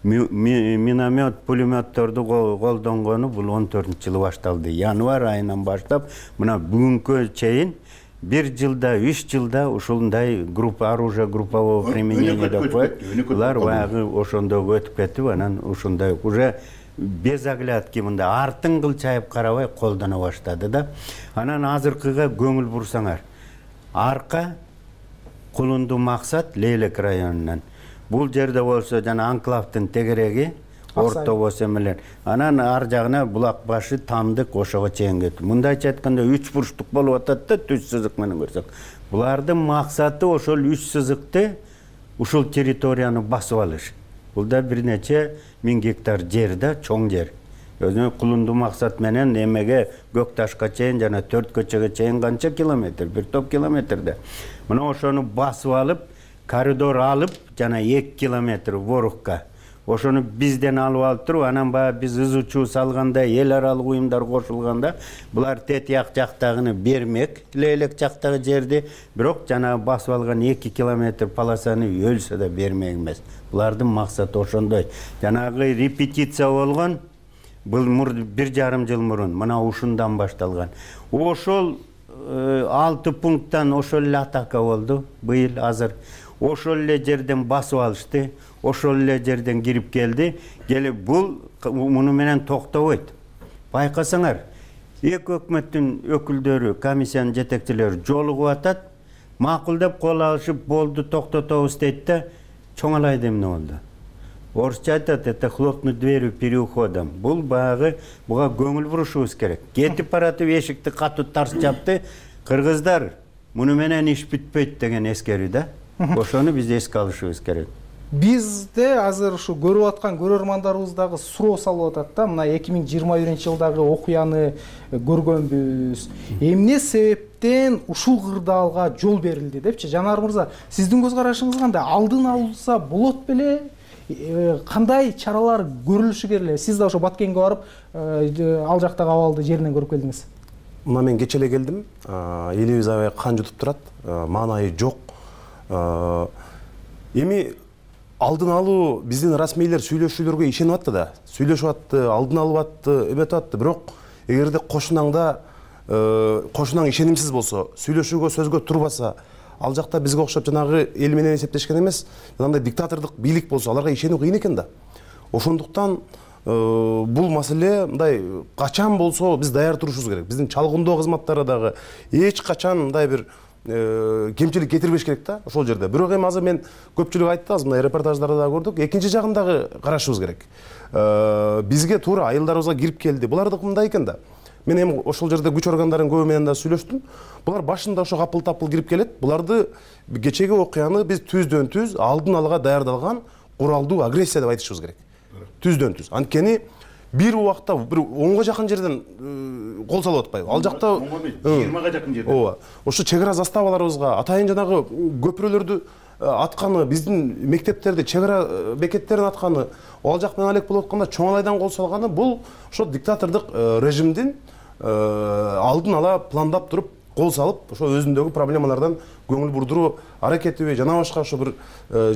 миномет, пулеметтерду колдонгону бул он төртүнчү жылы башталды. Январь айынан баштап мына бүгүнкү чейин бир жылда, үч жылда ушундай группа оружия группового применения деп коет. Булар баягы ошондой өтүп кетип, анан ушундай уже без оглядки мындай артын кылчайып карабай колдоно баштады да. Анан азыркыга көңүл бурсаңар, арка Кулунду максат Лейлек районунан. Бул жерде болсо жана анклавдын тегереги орто болсо менен анан ар жагына Булак башы, Тамдык ошого чейин кетти. Мындайча айтканда үч бурчтук болуп атат да, түз сызык менен көрсөк. Булардын максаты ошол үч сызыкты ушул территорияны басып алыш. Бул да бир нече миң гектар жер да, чоң жер. Өзүнүн Кулунду максат менен эмеге Көкташка чейин жана төрт көчөгө чейин канча километр, бир топ километрде. Мына ошону басып алып, коридор алып, жана эки километр Ворукка. Ошону бизден алып алып туруп, анан баягы биз ызычуу салганда, эл аралык уюмдар кошулганда, булар Тетияк жактагыны бермек, Лейлек жактагы жерди, бирок жана басып алган эки километр полосаны өлсө да бермек эмес. Булардын максаты ошондой. Жанагы репетиция болгон, бул бир жарым жыл мурун, мына ушундан башталган. Ошол алты пункттан ошол эле атака болду быйыл азыр. Ошол эле жерден басып алышты, ошол эле жерден кирип келди. Келип бул муну менен токтобойт. Байкасаңар, эки өкмөттүн өкүлдөрү, комиссиянын жетекчилери жолугуп атат, макулдап кол алышып болду, токтотобуз дейт да, чоңалайды эмне болду. Орусча айтат, это хлопнуть дверью переуходом. Бул баягы буга көңүл бурушубуз керек. Кетип баратып эшикти катуу тарс жапты. Кыргыздар, муну менен иш бүтпөйт деген эскерүү да. Ошону биз эске алышыбыз керек. Бизде азыр ушу көрүп аткан көрөрмандарыбыз дагы суроо салып атат да, мына эки миң жыйырма биринчи жылдагы окуяны көргөнбүз. Эмне себептен ушул кырдаалга жол берилди депчи? Жанар мырза, сиздин көз карашыңыз кандай? Алдын алынса болот беле? Кандай чаралар көрүлүшү керек эле? Сиз да ошо Баткенге барып, ал жактагы абалды жеринен көрүп келдиңиз. Мына мен кече эле келдим. Элибиз аябай кан жутуп турат. Маанайы жок. Эми алдын алуу биздин расмийлер сүйлөшүүлөргө ишенип атты да. Сүйлөшүп атты, алдын алып атты, эметип атты. Бирок эгерде кошунаңда кошунаң ишенимсиз болсо, сүйлөшүүгө сөзгө турбаса, ал жакта бизге окшоп жанагы эл менен эсептешкен эмес, жанагындай диктатордук бийлик болсо, аларга ишенүү кыйын экен да. Ошондуктан бул маселе мындай качан болсо биз даяр турушубуз керек. Биздин чалгындоо кызматтары дагы эч качан мындай бир кемчилик кетирбеш керек да ошол жерде. Бирок эми азыр мен көпчүлүк айтты, азыр мындай репортаждарды да көрдүк. Экинчи жагын дагы карашыбыз керек. Бизге туура айылдарыбызга кирип келди. Булардык мындай экен да. мен эми ошол жерде күч органдарынын көбү менен да сүйлөштүм. Булар башында ошо капыл-тапыл кирип келет. Буларды кечеги окуяны биз түздөн түз алдын алга даярдалган куралдуу агрессия деп айтышыбыз керек. Түздөн түз. Анткени бир убакта бир онго жакын жерден кол салып атпайбы? Ал жакта жыйырмага жакын жерден. Ооба. Ошо чек ара заставаларыбызга атайын жанагы көпүрөлөрдү атканы, биздин мектептерди, чек ара бекеттерин атканы, ал жак менен алек болуп атканда чоңалайдан кол салганы бул ошо диктатордук режимдин алдын ала пландап туруп кол салып, ошо өзүндөгү проблемалардан көңүл бурдуруу аракетиби жана башка ошо бир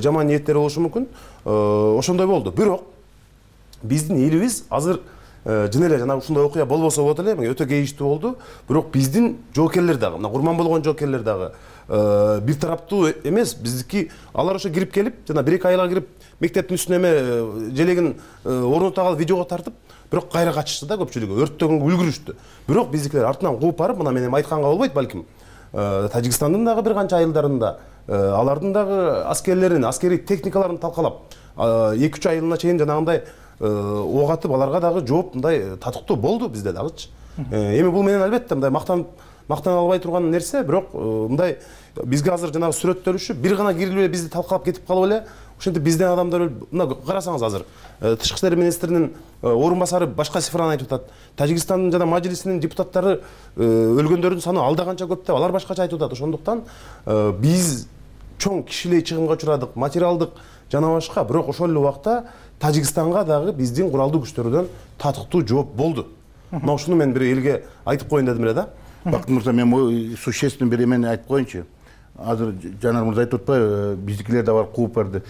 жаман ниеттери болушу мүмкүн. Ошондой болду. Бирок биздин элибиз азыр жөн эле жана ушундай окуя болбосо болот эле, өтө кейиштүү болду. Бирок биздин жоокерлер дагы, мына курман болгон жоокерлер дагы бир тараптуу эмес, биздики алар ошо кирип келип, жана бир эки айга кирип мектептин үстүнө эме желегин орнута калып видеого тартып, бирок кайра качышты да көпчүлүгү, өрттөгөнгө үлгүрүштү. Бирок биздикилер артынан кууп барып, мына мен эми айтканга болбойт балким. Тажикстандын дагы бир канча айылдарында алардын дагы аскерлерин, аскерий техникаларын талкалап, эки үч айылына чейин жанагындай ок атып, аларга дагы жооп мындай татыктуу болду бизде дагычы. Эми бул менен албетте мындай мактан мактана албай турган нерсе, бирок мындай бизге азыр жанагы сүрөттөлүшү бир гана кирип эле бизди талкалап кетип калып эле, ошентип бизден адамдар мына карасаңыз азыр тышкы иштер министринин орун басары башка цифраны айтып атат. Тажикстандын жана мажилисинин депутаттары өлгөндөрдүн саны алда канча көп деп алар башкача айтып атат. Ошондуктан биз чоң кишилей чыгымга учурадык, материалдык жана башка, бирок ошол эле убакта Тажикстанга дагы биздин куралдуу күчтөрдөн татыктуу жооп болду. Мына ушуну мен бир элге айтып коеюн дедим эле да. Бактын мырза, мен существенный бир эмени айтып коеюнчу. Азыр Жанар мырза айтып атпайбы, биздикилер да бар кууп барды.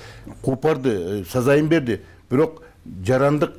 Кууп барды, сазайын берди. Бирок жарандык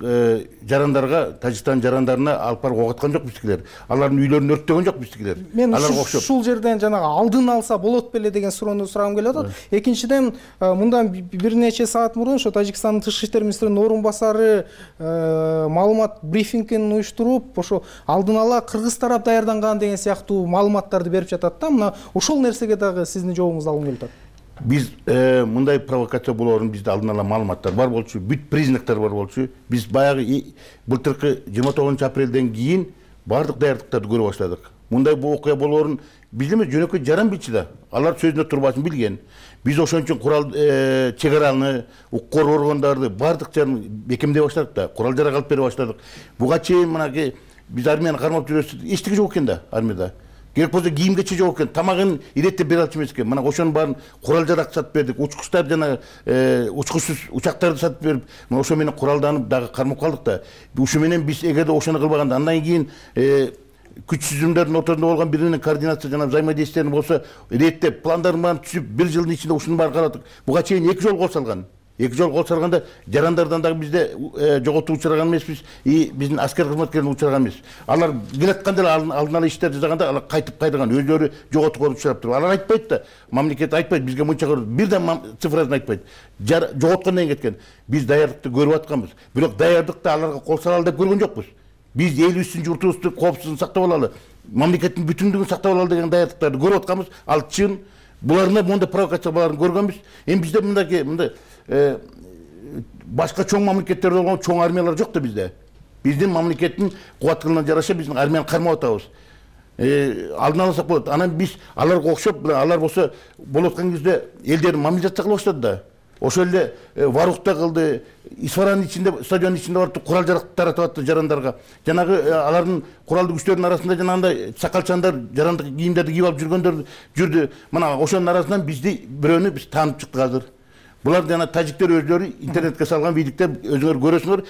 жарандарга, Тажикстан жарандарына алып барып ок аткан жок биздикилер. Алардын үйлөрүн өрттөгөн жок биздикилер. Мен ушул жерден жанагы алдын алса болот беле деген суроону сурагым келип атат. Экинчиден, мындан бир нече саат мурун ошо Тажикстандын тышкы иштер министринин орун басары маалымат брифингин уюштуруп, ошо алдын ала кыргыз тарап даярданган деген сыяктуу маалыматтарды берип жатат да. Мына ошол нерсеге дагы сиздин жообуңузду алгым келип атат. Биз мындай провокация болоорун бизде алдын ала маалыматтар бар болчу, бүт признактар бар болчу. Биз баягы былтыркы жыйырма тогузунчу апрелден кийин бардык даярдыктарды көрө баштадык. Мындай бул окуя болоорун биз эме жөнөкөй жаран билчү да. Алар сөзүнө турбасын билген. Биз ошон үчүн курал чек араны, укук органдарды бардык жерин бекемдей баштадык да. Курал жарак алып бере баштадык. Буга чейин мынакей биз армияны кармап жүрөбүз. Эчтеке жок экен да армияда. Керек болсо кийим кече жок экен, тамагын иреттеп бере алчу эмес экен. Мына ошонун баарын курал жарак сатып бердик, учкучтар жана учкучсуз учактарды сатып берип, мына ошо менен куралданып дагы кармап калдык да. Ушу менен биз эгерде ошону кылбаганда, андан кийин күч түзүмдөрдүн ортосунда болгон бири менен координация жана взаимодействиелер болсо, реттеп, пландардын баарын түзүп, бир жылдын ичинде ушунун баарын карадык. Буга чейин эки жолу кол салган. Эки жолу кол салганда жарандардан дагы бизде жоготуу учураган эмеспиз, и биздин аскер кызматкерлери учураган эмес. Алар келатканда эле алдын ала иштер жасаганда алар кайтып кайрылган, өзүлөрү жоготууга учурап туруп. Алар айтпайт да, мамлекет айтпайт, бизге мынча бирден цифрасын айтпайт. Жоготкондон кийин кеткен. Биз даярдыкты көрүп атканбыз. Бирок даярдыкта аларга кол салалы деп көргөн жокпуз. Биз элибиздин журтубузду коопсуздугун сактап алалы, мамлекеттин бүтүндүгүн сактап алалы деген даярдыктарды көрүп атканбыз. Ал чын. Буларны мондай провокацияларын көргөнбүз. Эми бизде мындай мындай башка чоң мамлекеттерде болгон чоң армиялар жок да бизде. Биздин мамлекеттин кубаттылыгына жараша биздин армияны кармап атабыз. Алдын алсак болот. Анан биз аларга окшоп, алар болсо болуп аткан кезде элдерин мобилизация кыла баштады да. Ошол эле Варухта кылды, Исфаранын ичинде, стадиондун ичинде барып курал жарак таратып атты жарандарга. Жанагы алардын куралдуу күчтөрүнүн арасында жанагындай сакалчандар, жарандык кийимдерди кийип алып жүргөндөр жүрдү. Мына ошонун арасынан бизди бирөөнү биз таанып чыктык азыр. Булар жана тажиктер өзлөрү интернетке салган видиктер өзүңөр көрөсүңөр,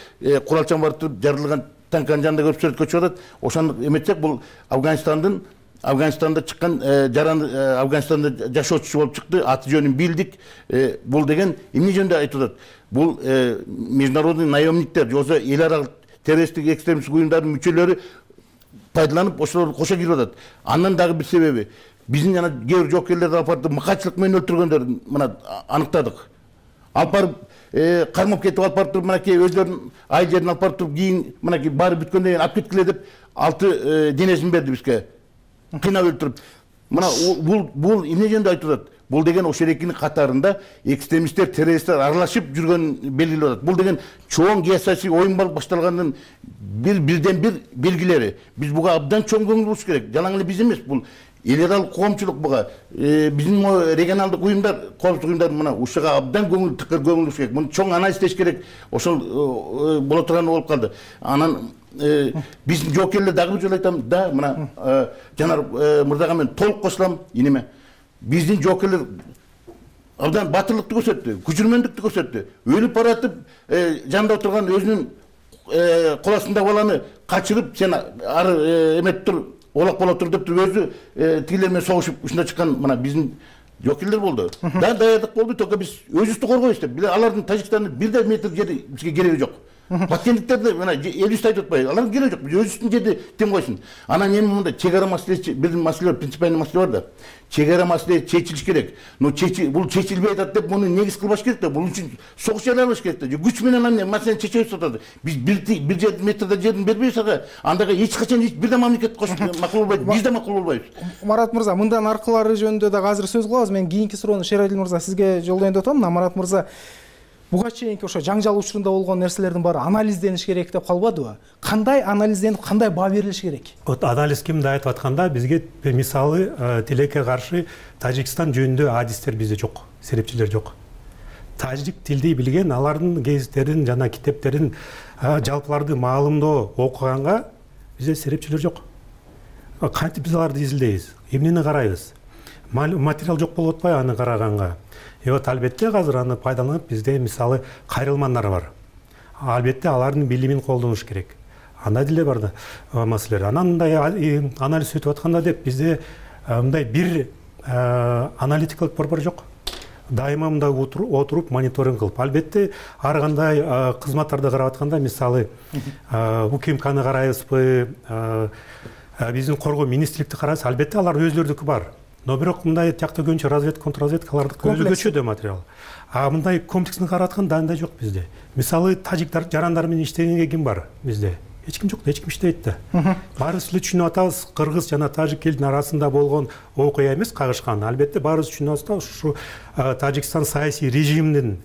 куралчан барып туруп жарылган танканын жанында көрүп сүрөткө чыгып атат. Ошону эметсек бул Афганистандын Афганистанда чыккан жаран Афганистанда жашоочусу болуп чыкты, аты жөнүн билдик. Бул деген эмне жөнүндө айтып атат? Бул международный наемниктер, жоксо эл аралык террористтик экстремисттик уюмдардын мүчөлөрү пайдаланып ошолорду кошо кирип атат. Андан дагы бир себеби биздин жана кээ бир жоокерлерди алып барып мыкаачылык менен өлтүргөндөрдү мына аныктадык. Алып барып кармап кетип алып барып туруп мынакей өзлөрүнүн айыл жерин алып барып туруп кийин мынакей баары бүткөндөн кийин алып кеткиле деп алты денесин берди бизге. Кыйнап өлтүрүп. Мына бул бул эмне жөнүндө айтып атат? бул деген ошол экинин катарында экстремисттер, террористтер аралашып жүргөнүн белгилеп атат. Бул деген чоң геосаясий оюн башталганын бир бирден бир белгилери. Биз буга абдан чоң көңүл бурууш керек. Жалаң эле биз эмес, бул эл аралык коомчулук буга, биздин регионалдык уюмдар, коопсуздук уюмдар мына ушуга абдан көңүл тыкыр көңүл бурууш керек. Муну чоң анализдеш керек. Ошол боло турганы болуп калды. Анан биздин жоокерлер дагы бир жолу айтам да, мына Жанар мырзага мен толук кошулам инеме. Биздин жоокерлер абдан батырлыкты көрсөттү, күчүрмөндүктү көрсөттү. Өлүп баратып, жанында отурган өзүнүн кол астындагы баланы качырып, сен ары эмет тур, олак боло тур деп туруп өзү тигилер менен согушуп ушунда чыккан мына биздин жоокерлер болду. Да, даярдык болду, только биз өзүбүздү коргойбуз деп. Алардын Тажикстандын бир да метр жери бизге кереги жок. Баткендиктерди мына элибизди айтып атпайбы? Алардын кереги жок. Биз өзүбүздүн жерди тем койсун. Анан эми мындай чек ара маселеси, бир маселе бар, принципиальный маселе бар да. Чек ара маселеси чечилиш керек. Но бул чечилбей атат деп муну негиз кылбаш керек да. Бул үчүн согуш жарыялаш керек да. Күч менен аны маселени чечебиз атат. Биз бир бир метрде жерин бербейбиз ага. Андайга эч качан эч бир да мамлекет макул болбойт. Биз да макул болбойбуз. Марат мырза, мындан аркылары жөнүндө да азыр сөз кылабыз. Мен кийинки суроону Шералил мырза сизге жолдоюн деп атам. Марат мырза, буга чейинки ошо жаңжал учурунда болгон нерселердин баары анализдениш керек деп калбадыбы? Кандай анализденип, кандай баа берилиш керек? Вот анализ кимди айтып атканда, бизге мисалы тилекке каршы Тажикстан жөнүндө адистер бизде жок, серепчилер жок. Тажик тилди билген, алардын гезиттерин жана китептерин, жалпыларды маалымдоо окуганга бизде серепчилер жок. Кантип биз аларды изилдейбиз? Эмнени карайбыз? Материал жок болуп атпайбы аны караганга? И вот албетте азыр аны пайдаланып бизде мисалы кайрылмандар бар. Албетте алардын билимин колдонуш керек. Андай деле бар да маселелер. Анан мындай анализ өтүп атканда деп бизде мындай бир аналитикалык борбор жок. Дайыма мындай отуруп мониторинг кылып. Албетте ар кандай кызматтарды карап атканда мисалы УКМКны карайбызбы, биздин коргоо министрликти карайбыз, албетте алар өзлөрүнүкү бар. Но бирок мындай тиякта көбүнчө разведка, контрразведкалардыкы өзгөчө да материал. А мындай комплексни карап атканда андай жок бизде. Мисалы тажиктар жарандар менен иштегенге ким бар бизде? Эч ким жок, эч ким иштейт да. Баарыбыз эле түшүнүп атабыз, кыргыз жана тажик элдин арасында болгон окуя эмес кагышкан. Албетте баарыбыз түшүнүп атабыз, ушу Тажикстан саясий режиминин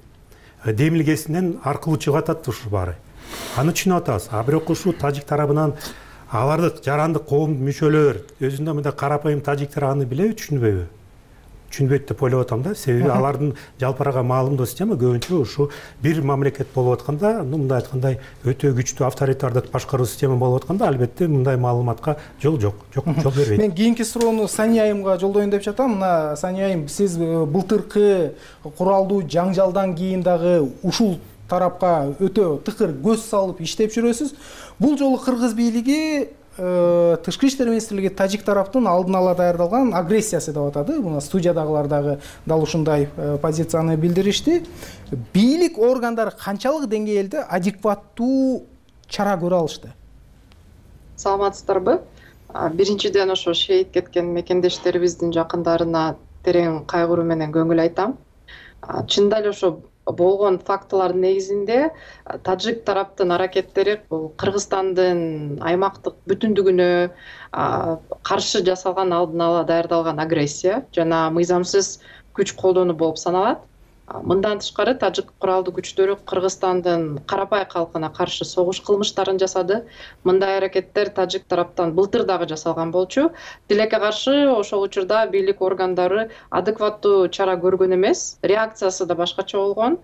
демилгесинен аркылуу чыгып атат ушу баары. Аны түшүнүп атабыз. А бирок ушу тажик тарабынан аларды жарандык коом мүчөлөр өзүндө мындай карапайым тажиктер аны билеби, түшүнбөйбү? Түшүнбөйт деп ойлоп атам да. Себеби алардын жалпырага маалымдоо система көбүнчө ушу бир мамлекет болуп атканда, мындай айткандай өтө күчтүү авторитардык башкаруу система болуп атканда, албетте мындай маалыматка жол жок, жок жол бербейт. Мен кийинки суроону Сания айымга жолдоюн деп жатам. Мына Сания айым, сиз былтыркы куралдуу жаңжалдан кийин дагы ушул тарапка өтө тыкыр көз салып иштеп жүрөсүз. Бул жолу кыргыз бийлиги Тышкы иштер министрлиги тажик тараптын алдын ала даярдалган агрессиясы деп атады. Мына студиядагылар дагы дал ушундай позицияны билдиришти. Бийлик органдары канчалык деңгээлде адекваттуу чара көрө алышты? Саламатсыздарбы? Биринчиден ошо шейит кеткен мекендештерибиздин жакындарына терең кайгыруу менен көңүл айтам. Чындап эле ошо болгон фактылардын негизинде тажик тараптын аракеттери бул Кыргызстандын аймактык бүтүндүгүнө каршы жасалган алдын ала даярдалган агрессия жана мыйзамсыз күч колдонуу болуп саналат. Мындан тышкары тажик куралдуу күчтөрү Кыргызстандын карапай калкына каршы согуш кылмыштарын жасады. Мындай аракеттер тажик тараптан былтыр дагы жасалган болчу. Тилекке каршы ошол учурда бийлик органдары адекваттуу чара көргөн эмес, реакциясы да башкача болгон.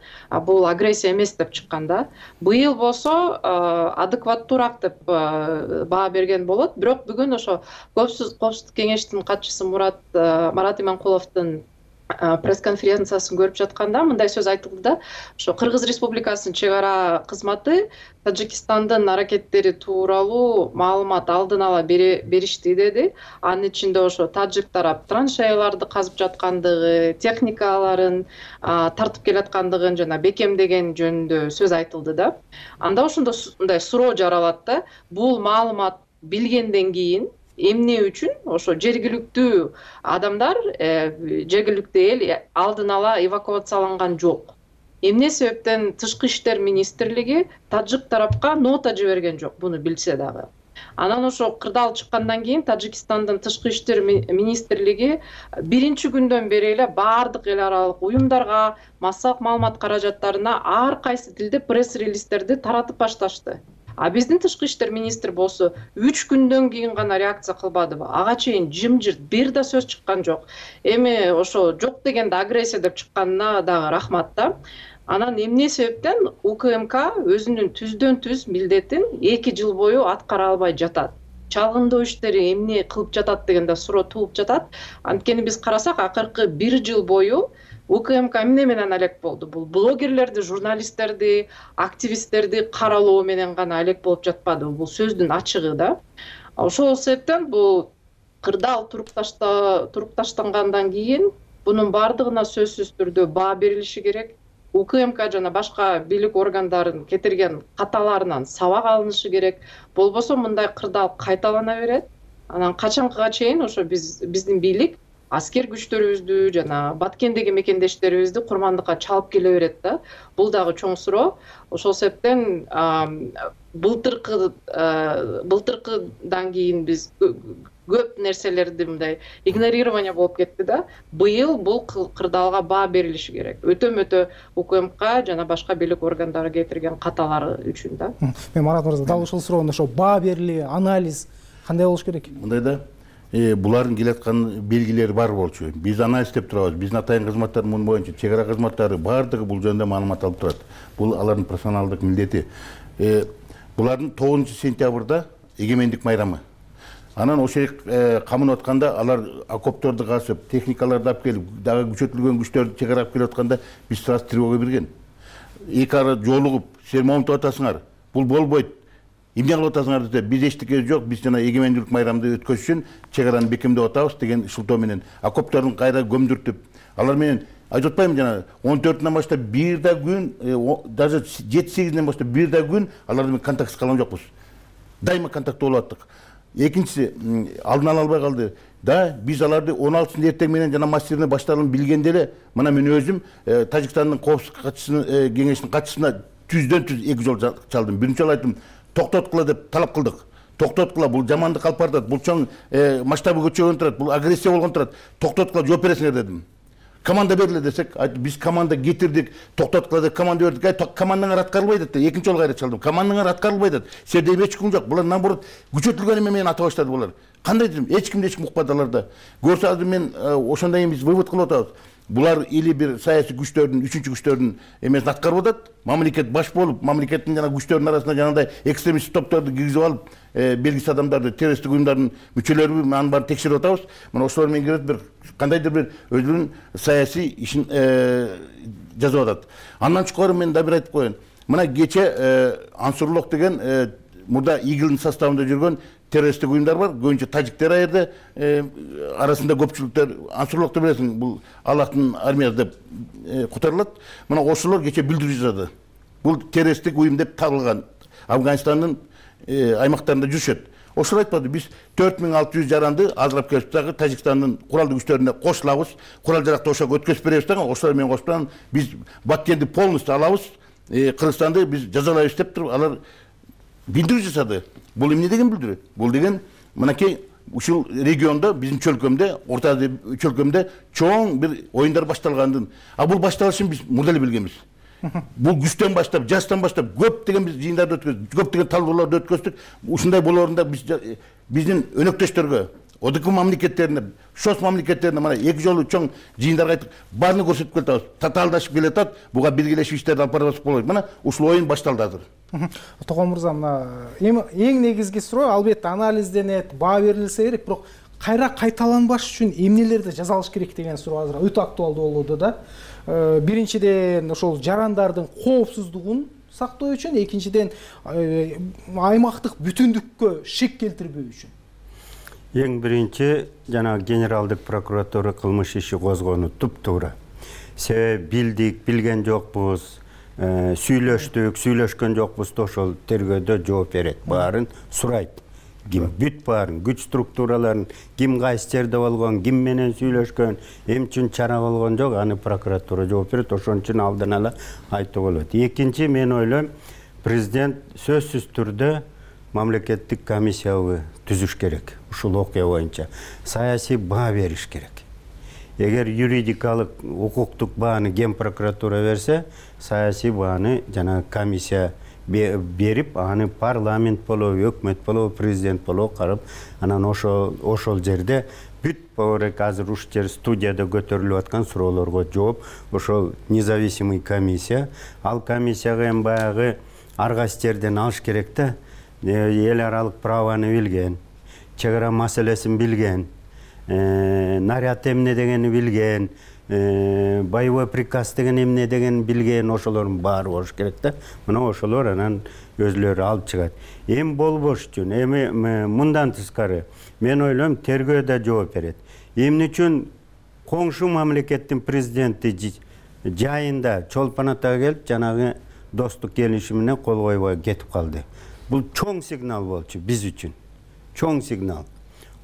Бул агрессия эмес деп чыккан да. Быйыл болсо адекваттуураак деп баа берген болот. Бирок бүгүн ошо Коопсуздук кеңештин катчысы Мурат Марат Иманкуловдун пресс-конференциясын көрүп жатканда мындай сөз айтылды да, ошо Кыргыз Республикасынын чек ара кызматы Тажикстандын аракеттери тууралуу маалымат алдын ала беришти деди. Анын ичинде ошо тажик тарап траншеяларды казып жаткандыгы, техникаларын тартып келаткандыгын жана бекемдеген жөнүндө сөз айтылды да. Анда ошондо мындай суроо жаралат да, бул маалымат билгенден кийин эмне үчүн ошо жергиликтүү адамдар, жергиликтүү эл алдын ала эвакуацияланган жок? Эмне себептен Тышкы иштер министрлиги тажик тарапка нота жиберген жок, буну билсе дагы? Анан ошо кырдаал чыккандан кийин Тажикстандын тышкы иштер министрлиги биринчи күндөн бери эле баардык эл аралык уюмдарга, массалык маалымат каражаттарына ар кайсы тилде пресс-релиздерди таратып башташты. А биздин тышкы иштер министри болсо үч күндөн кийин гана реакция кылбадыбы? Ага чейин жымжырт бир да сөз чыккан жок. Эми ошо жок дегенде агрессия деп чыкканына дагы рахмат да. Анан эмне себептен УКМК өзүнүн түздөн түз милдетин эки жыл бою аткара албай жатат? Чалгындоо иштери эмне кылып жатат дегенде суроо туулуп жатат. Анткени биз карасак, акыркы бир жыл бою УКМК эмне менен алек болду? Бул блогерлерди, журналисттерди, активисттерди каралоо менен гана алек болуп жатпады. Бул сөздүн ачыгы да. Ошол себептен бул кырдаал туруп таштангандан кийин бунун баардыгына сөзсүз түрдө баа берилиши керек. УКМК жана башка бийлик органдарын кетирген каталарынан сабак алынышы керек. Болбосо мындай кырдаал кайталана берет. Анан качанкыга чейин ошо биз биздин бийлик аскер күчтөрүбүздү жана Баткендеги мекендештерибизди курмандыкка чалып келе берет да. Бул дагы чоң суроо. Ошол себептен былтыркы былтыркыдан кийин биз көп нерселерди мындай игнорирование болуп кетти да. Быйыл бул кырдаалга баа берилиши керек. Өтө-мөтө УКМК жана башка бийлик органдары кетирген каталары үчүн да. Мен Марат мырза, дал ушул суроону ошо баа берили, анализ кандай болуш керек? Мындай да, булардын келаткан белгилери бар болчу. Биз анализ деп турабыз. Биздин атайын кызматтар мун боюнча чек ара кызматтары баардыгы бул жөнүндө маалымат алып турат. Бул алардын профессионалдык милдети. Булардын тогузунчу сентябрда эгемендик майрамы. Анан ошо камын атканда алар окопторду касып, техникаларды алып келип, дагы күчөтүлгөн күчтөрдү чек ара алып келип атканда биз сразу тревога берген. Эки ара жолугуп, сен момунтип атасыңар. Бул болбойт. Эмне кылып атасыңар десе, биз эчтеке жок, биз жана эгемендүүлүк майрамды өткөзүш үчүн чек араны бекемдеп атабыз деген шылтоо менен окоптордун кайра көмдүртүп, алар менен айтып атпаймынбы жана он төртүнөн баштап бир да күн, даже жети сегизинен баштап бир да күн алар менен контактсыз калган жокпуз. Дайыма контакт болуп аттык. Экинчиси, алдын ала албай калды. Да, биз аларды он алтысында эртең менен жана массирне башталганын билгенде эле, мына мен өзүм Тажикстандын коопсуздук катчысынын кеңешинин катчысына түздөн түз эки жол чалдым. Биринчи жолу айттым, токтоткула деп талап кылдык. Токтоткула, бул жамандык алып баратат, бул чоң масштабы көчөгөн турат, бул агрессия болгон турат. Токтоткула жооп бересиңер дедим. Команда бериле десек, биз команда кетирдик, токтоткула деп команда бердик. Ай, командаңар аткарылбайт деп, экинчи жолу кайра чалдым. Командаңар аткарылбайт деп. Сенде эч ким жок. Булар наоборот күчөтүлгөн менен ата баштады булар. Кандай дедим? Эч кимди эч ким укпады аларда. Көрсө азыр мен ошондон кийин биз вывод кылып атабыз. Булар или бир саясий күчтөрдүн, үчүнчү күчтөрдүн эмесин аткарып атат. Мамлекет баш болуп, мамлекеттин жана күчтөрдүн арасында жанагындай экстремист топторду киргизип алып, белгисиз адамдарды, террористтик уюмдардын мүчөлөрү анын баарын текшерип атабыз. Мына ошолор менен кирет бир кандайдыр бир өзүнүн саясий ишин жазып атат. Андан чукары мен да бир айтып коеюн. Мына кече Ансурлук деген мурда игилдин составында жүргөн террористтик уюмдар бар. Көбүнчө тажиктер аерде арасында көпчүлүктөр Ансурлукты билесиң, бул Аллахтын армиясы деп котурулат. Мына ошолор кече билдирүү жасады. Бул террористтик уюм деп табылган. Афганистандын аймактарында жүрүшөт. Ошол айтпады, биз төрт миң алты жүз жаранды азырап келип дагы Тажикстандын куралдуу күчтөрүнө кошулабыз, курал жаракты ошого өткөзүп беребиз дагы, ошолор менен кошуп биз Баткенди полностью алабыз, Кыргызстанды биз жазалайбыз деп туруп алар билдирүү жасады. Бул эмне деген билдирүү? Бул деген мынакей ушул региондо, биздин чөлкөмдө, Орто Азия чөлкөмдө чоң бир оюндар башталгандын. А бул башталышын биз мурда эле билгенбиз. Бул күчтөн баштап, жастан баштап көп деген биз жыйындарды өткөздүк, көп деген талкууларды өткөздүк. Ушундай болоорунда биз биздин өнөктөштөргө, ОДК мамлекеттерине, ШОС мамлекеттерине мына эки жолу чоң жыйындарга айттык, баарын көрсөтүп келатабыз. Татаалдашып келатат, буга биргелешип иштерди алып барабыз болот. Мына ушул оюн башталды азыр. Токон мырза, мына эң негизги суроо албетте анализденет, баа берилсе керек, бирок кайра кайталанбаш үчүн эмнелерди жазалыш керек деген суроо азыр өтө актуалдуу болууда да. Биринчиден ошол жарандардын коопсуздугун сактоо үчүн, экинчиден аймактык бүтүндүккө шек келтирбөө үчүн. Эң биринчи жана генералдык прокуратура кылмыш иши козгону туп-туура. Себеби билдик, билген жокпуз, сүйлөштүк, сүйлөшкөн жокпуз, ошол тергөөдө жооп берет, баарын сурайт. Ким бүт баарын, күч структураларын, ким кайсы жерде болгон, ким менен сүйлөшкөн, эмне үчүн чара болгон жок, аны прокуратура жооп берет, ошон үчүн алдын ала айтуу болот. Экинчи, мен ойлойм, президент сөзсүз түрдө мамлекеттик комиссиябы түзүш керек. Ушул окуя боюнча саясий баа бериш керек. Эгер юридикалык укуктук бааны Ген прокуратура берсе, саясий бааны жана комиссия берип, аны парламент болобу, өкмөт болобу, президент болобу карап, анан ошол ошол жерде бүт баурек азыр ушул жер студияда көтөрүлүп аткан суроолорго жооп, ошол независимый комиссия, ал комиссияга эми баягы аргайсы жерден алыш керек да, эл аралык праваны билген, чек ара маселесин билген, наряд эмне дегени билген, боевой приказ деген эмне деген билген, ошолордун баары болуш керек да. Мына ошолор анан өзлөрү алып чыгат. Эми болбош үчүн, эми мындан тышкары мен ойлойм тергөө да жооп берет. Эмне үчүн коңшу мамлекеттин президенти жайында Чолпон Атага келип, жанагы достук келишим менен кол койбой кетип калды. Бул чоң сигнал болчу биз үчүн. Чоң сигнал.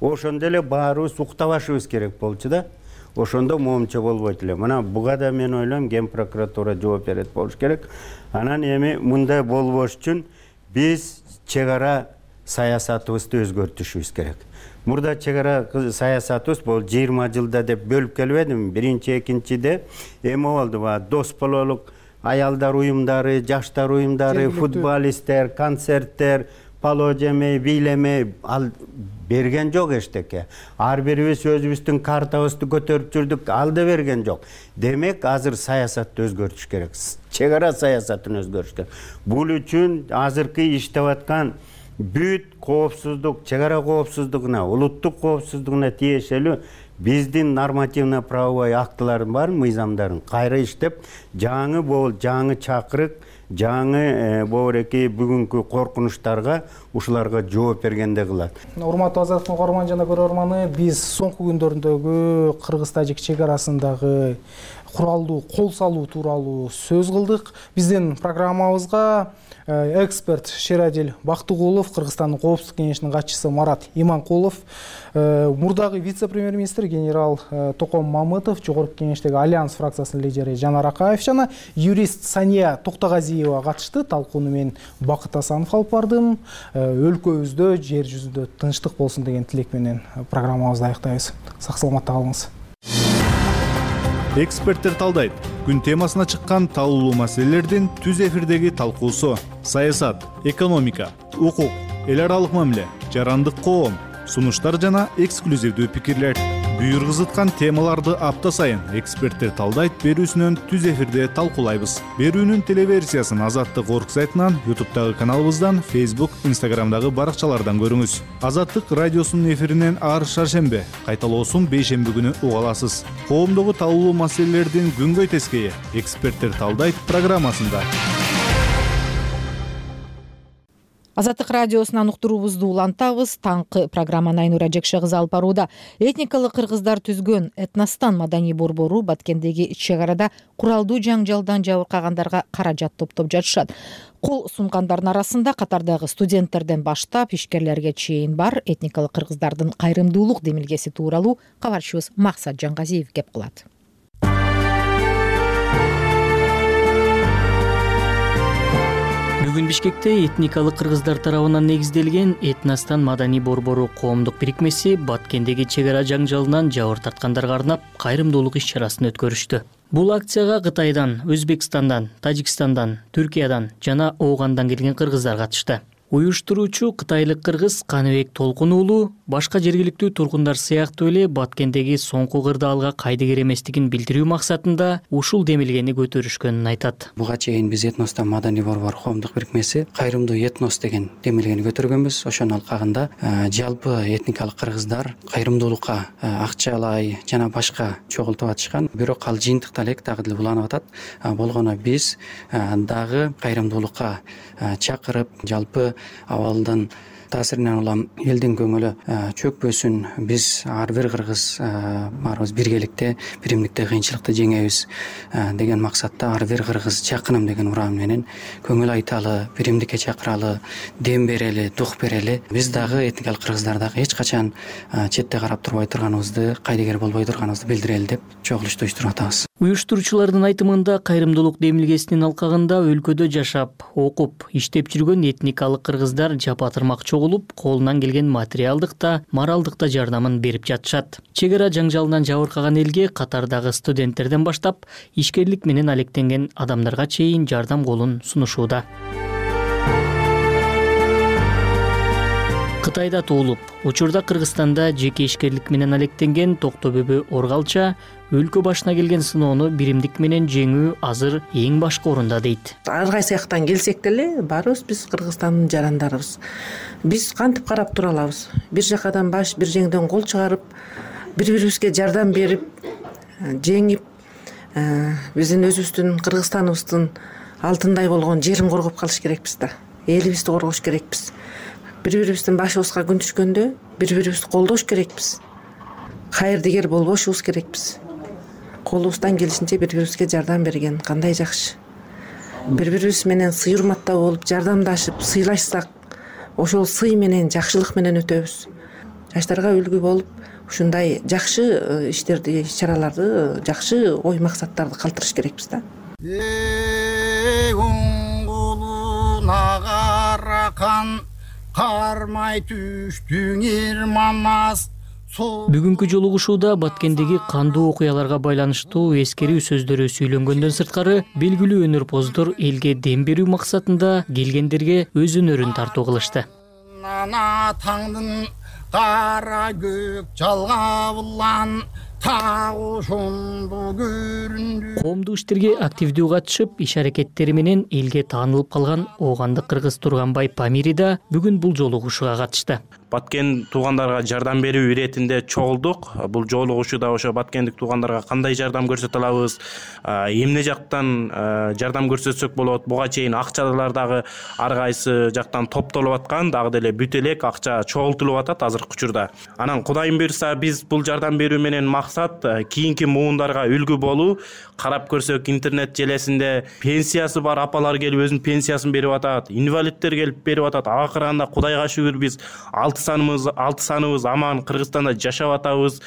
Ошондо эле баарыбыз уктабашыбыз керек болчу да. Ошондо моомча болбойт эле. Мына буга да мен ойлойм Ген прокуратура жооп берет болуш керек. Анан эми мындай болбош үчүн биз чек ара саясатыбызды өзгөртүшүбүз керек. Мурда чек ара саясатыбыз бул жыйырма жылда деп бөлүп келбедимби? Биринчи, экинчиде эми болду ба? Дос бололук аялдар уюмдары, жаштар уюмдары, футболисттер, концерттер, пало жемей, бийлемей ал берген жок эчтеке. Ар бирибиз өзүбүздүн картабызды көтөрүп жүрдүк, ал да берген жок. Демек, азыр саясатты өзгөртүш керек. Чек ара саясатын өзгөртүш керек. Бул үчүн азыркы иштеп аткан бүт коопсуздук, чек ара коопсуздугуна, улуттук коопсуздугуна тиешелүү биздин нормативно правовой актыларын бар, мыйзамдарын кайра иштеп, жаңы бол, жаңы чакырык, жаңы боореки бүгүнкү коркунучтарга ушуларга жооп бергенде кылат. Урматтуу Азаттык угарман жана көрөрманы, биз соңку күндөрүндөгү кыргыз-тажик чек арасындагы куралдуу кол салуу тууралуу сөз кылдык. Биздин программабызга эксперт Шерадил Бактыгулов, Кыргызстандын коопсуздук кеңешинин катчысы Марат Иманкулов, мурдагы вице-премьер-министр генерал Током Мамытов, жогорку кеңештеги Альянс фракциясынын лидери Жанар Акаев жана юрист Сания Токтогазиева катышты. Талкууну мен Бакыт Асанов алып бардым. Өлкөбүздө, жер жүзүндө тынчтык болсун деген тилек менен программабызды аяктайбыз. Сак саламатта калыңыз. Эксперттер талдайт. Күн темасына чыккан талуулуу маселелердин түз эфирдеги талкуусу: саясат, экономика, укук, эл аралык мамиле, жарандык коом, сунуштар жана эксклюзивдүү пикирлер. Буйргызыткан темаларды апта сайын эксперттер талдайт берүүсүнөн түз эфирде талкуулайбыз. Берүүнүн телеверсиясын Азаттык орг сайтынан, ютубтагы каналыбыздан, Facebook, Instagramдагы баракчалардан көрүңүз. Азаттык радиосунун эфиринен ар шаршембе, кайталоосун бейшемби күнү уга аласыз. Коомдогу талуулуу маселелердин күнгөй тескейи эксперттер талдайт программасында. Азаттык радиосунан уктуруубузду улантабыз. Таңкы программаны Айнура Жекше кызы алып барууда. Этникалык кыргыздар түзгөн Этностан маданий борбору Баткендеги чек арада куралдуу жаңжалдан жабыркагандарга каражат топтоп жатышат. Кол сунгандардын арасында катардагы студенттерден баштап ишкерлерге чейин бар. Этникалык кыргыздардын кайрымдуулук демилгеси тууралуу кабарчыбыз Максат Жангазиев кеп кылат. Бүгүн Бишкекте этникалык кыргыздар тарабынан негизделген Этностан маданий борбору коомдук бирикмеси Баткендеги чек ара жаңжалынан жабыр тарткандарга арнап кайрымдуулук иш-чарасын өткөрүштү. Бул акцияга Кытайдан, Өзбекстандан, Тажикстандан, Түркиядан жана Оогандан келген кыргыздар катышты. Уюштуруучу кытайлык кыргыз Каныбек Толкун уулу башка жергиликтүү тургундар сыяктуу эле Баткендеги соңку кырдаалга кайдыгер эместигин билдирүү максатында ушул демилгени көтөрүшкөнүн айтат. Буга чейин биз Этностан маданий борбор коомдук бирикмеси кайрымдуу этнос деген демилгени көтөргөнбүз. Ошонун алкагында жалпы этникалык кыргыздар кайрымдуулукка акчалай жана башка чогултуп атышкан. Бирок ал жыйынтыкта элек дагы деле уланып атат. Болгону биз дагы кайрымдуулукка чакырып, жалпы абалдын таасиринен улам элдин көңүлү чөкпөсүн, биз ар бир кыргыз баарыбыз биргеликте, биримдикте кыйынчылыкты жеңебиз деген максатта ар бир кыргыз жакыным деген уран менен көңүл айталы, биримдикке чакыралы, дем берели, дух берели. Биз дагы этникалык кыргыздар дагы эч качан четте карап турбай турганыбызды, кайдыгер болбой турганыбызды билдирели деп чогулушту уюштуруп атабыз. Уюштуруучулардын айтымында кайрымдуулук демилгесинин алкагында өлкөдө жашап, окуп, иштеп жүргөн этникалык кыргыздар жапа-тырмак чогулуп, колунан келген материалдык да, моралдык да жардамын берип жатышат. Чек ара жаңжалынан жабыркаган элге катардагы студенттерден баштап, ишкерлик менен алектенген адамдарга чейин жардам колун сунушууда. Кытайда туулуп, учурда Кыргызстанда жеке ишкерлик менен алектенген Токтобөбө Оргалча өлкө башына келген сыноону биримдик менен жеңүү азыр эң башкы орунда дейт. Ар кайсы жактан келсек деле, баарыбыз биз Кыргызстандын жарандарыбыз. Биз кантип карап тура алабыз? Бир жакадан баш, бир жеңден кол чыгарып, бири-бирибизге жардам берип, жеңип, биздин өзүбүздүн Кыргызстаныбыздын алтындай болгон жерин коргоп калыш керекпиз да. Элибизди коргош керекпиз. Бири-бирибиздин башыбызга күн түшкөндө бири-бирибизди колдош керекпиз. Кайырдыгер болбошубуз керекпиз. Колубуздан келишинче бири-бирибизге жардам берген кандай жакшы. Бири-бирибиз менен сый урматтуу болуп, жардамдашып, сыйлашсак, ошол сый менен, жакшылык менен өтөбүз. Жаштарга үлгү болуп, ушундай жакшы иштерди, иш-чараларды, жакшы ой максаттарды калтырыш керекпиз да. Кармай түштүң ирманас. Бүгүнкү жолугушууда Баткендеги кандуу окуяларга байланыштуу эскерүү сөздөрү сүйлөнгөндөн сырткары, белгилүү өнөрпоздор элге дем берүү максатында келгендерге өз өнөрүн тартуу кылышты. Ана таңдын кара көк жалгабылан тагушунду көрүндү. Коомдук иштерге активдүү катышып, иш аракеттери менен элге таанылып калган Оогандык кыргыз Турганбай Памири да бүгүн бул жолугушууга катышты. Баткен туугандарга жардам берүү иретинде чогулдук. Бул жолугушууда ошо баткендик туугандарга кандай жардам көрсөтө алабыз, эмне жактан жардам көрсөтсөк болот, буга чейин акчалар дагы ар кайсы жактан топтолуп аткан, дагы деле бүт элек акча чогултулуп атат азыркы учурда. Анан Кудайым буйрса, биз бул жардам берүү менен максат кийинки муундарга үлгү болуу. Карап көрсөк, интернет желесинде пенсиясы бар апалар келип өзүнүн пенсиясын берип атат, инвалидтер келип берип атат. Акырында Кудайга шүгүр биз алты саныбыз алты саныбыз аман Кыргызстанда жашап атабыз.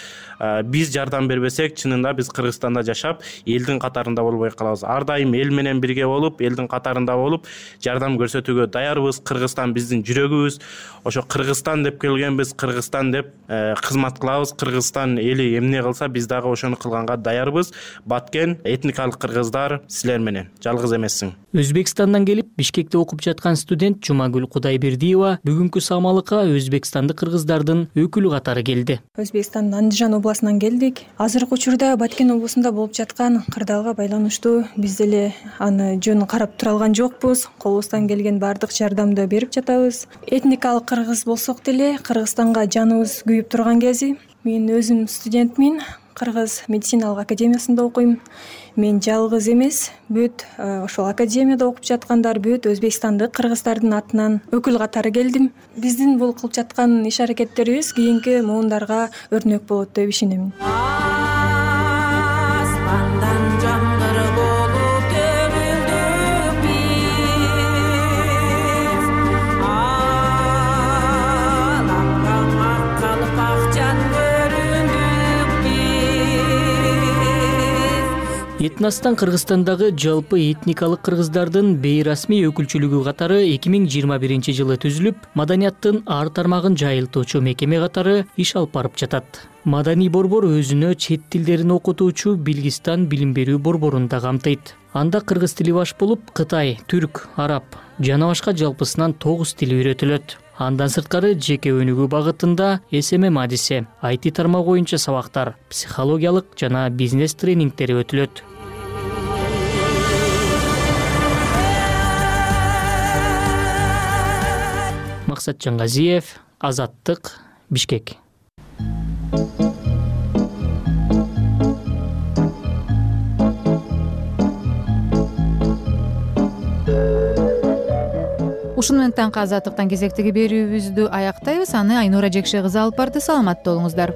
Биз жардам бербесек, чынында биз Кыргызстанда жашап, элдин катарында болбой калабыз. Ар дайым эл менен бирге болуп, элдин катарында болуп, жардам көрсөтүүгө даярбыз. Кыргызстан биздин жүрөгүбүз. Ошо Кыргызстан деп келгенбиз, Кыргызстан деп кызмат кылабыз. Кыргызстан эли эмне кылса, биз дагы ошону кылганга даярбыз. Баткен этникалык кыргыздар силер менен жалгыз эмессиң. Өзбекстандан келип, Бишкекте окуп жаткан студент Жумагүл Кудайбердиева бүгүнкү самалыкка өзбекстандык кыргыздардын өкүлү катары келди. Өзбекстандын Андижан областынан келдик. Азыркы учурда Баткен облусунда болуп жаткан кырдаалга байланыштуу биз деле аны жөн карап тура алган жокпуз. Колубуздан келген баардык жардамды берип жатабыз. Этникалык кыргыз болсок деле Кыргызстанга жаныбыз күйүп турган кези. Мен өзүм студентмин. Кыргыз медициналык академиясында окуйм. Мен жалгыз эмес, бүт ошол академияда окуп жаткандар бүт Өзбекстандык кыргыздардын атынан өкүл катары келдим. Биздин бул кылып жаткан иш аракеттерибиз кийинки муундарга өрнөк болот деп ишенем. Этностан Кыргызстандагы жалпы этникалык кыргыздардын бейрасмий өкүлчүлүгү катары эки миң жыйырма биринчи жылы түзүлүп, маданияттын ар тармагын жайылтуучу мекеме катары иш алып барып жатат. Маданий борбор өзүнө чет тилдерин окутуучу Билгистан билим берүү борборун да камтыйт. Анда кыргыз тили баш болуп, Кытай, түрк, араб жана башка жалпысынан тогуз тил үйрөтүлөт. Андан сырткары жеке өнүгүү багытында эс эм эм адиси, ай ти тармагы боюнча сабактар, психологиялык жана бизнес тренингтери өтүлөт. Максат Жаңгазиев, Азаттык, Бишкек. Ушуну менен таңкы Азаттыктан кезектеги берүүбүздү аяктайбыз. Аны Айнура Жекше кызы алып барды. Саламатта болуңуздар.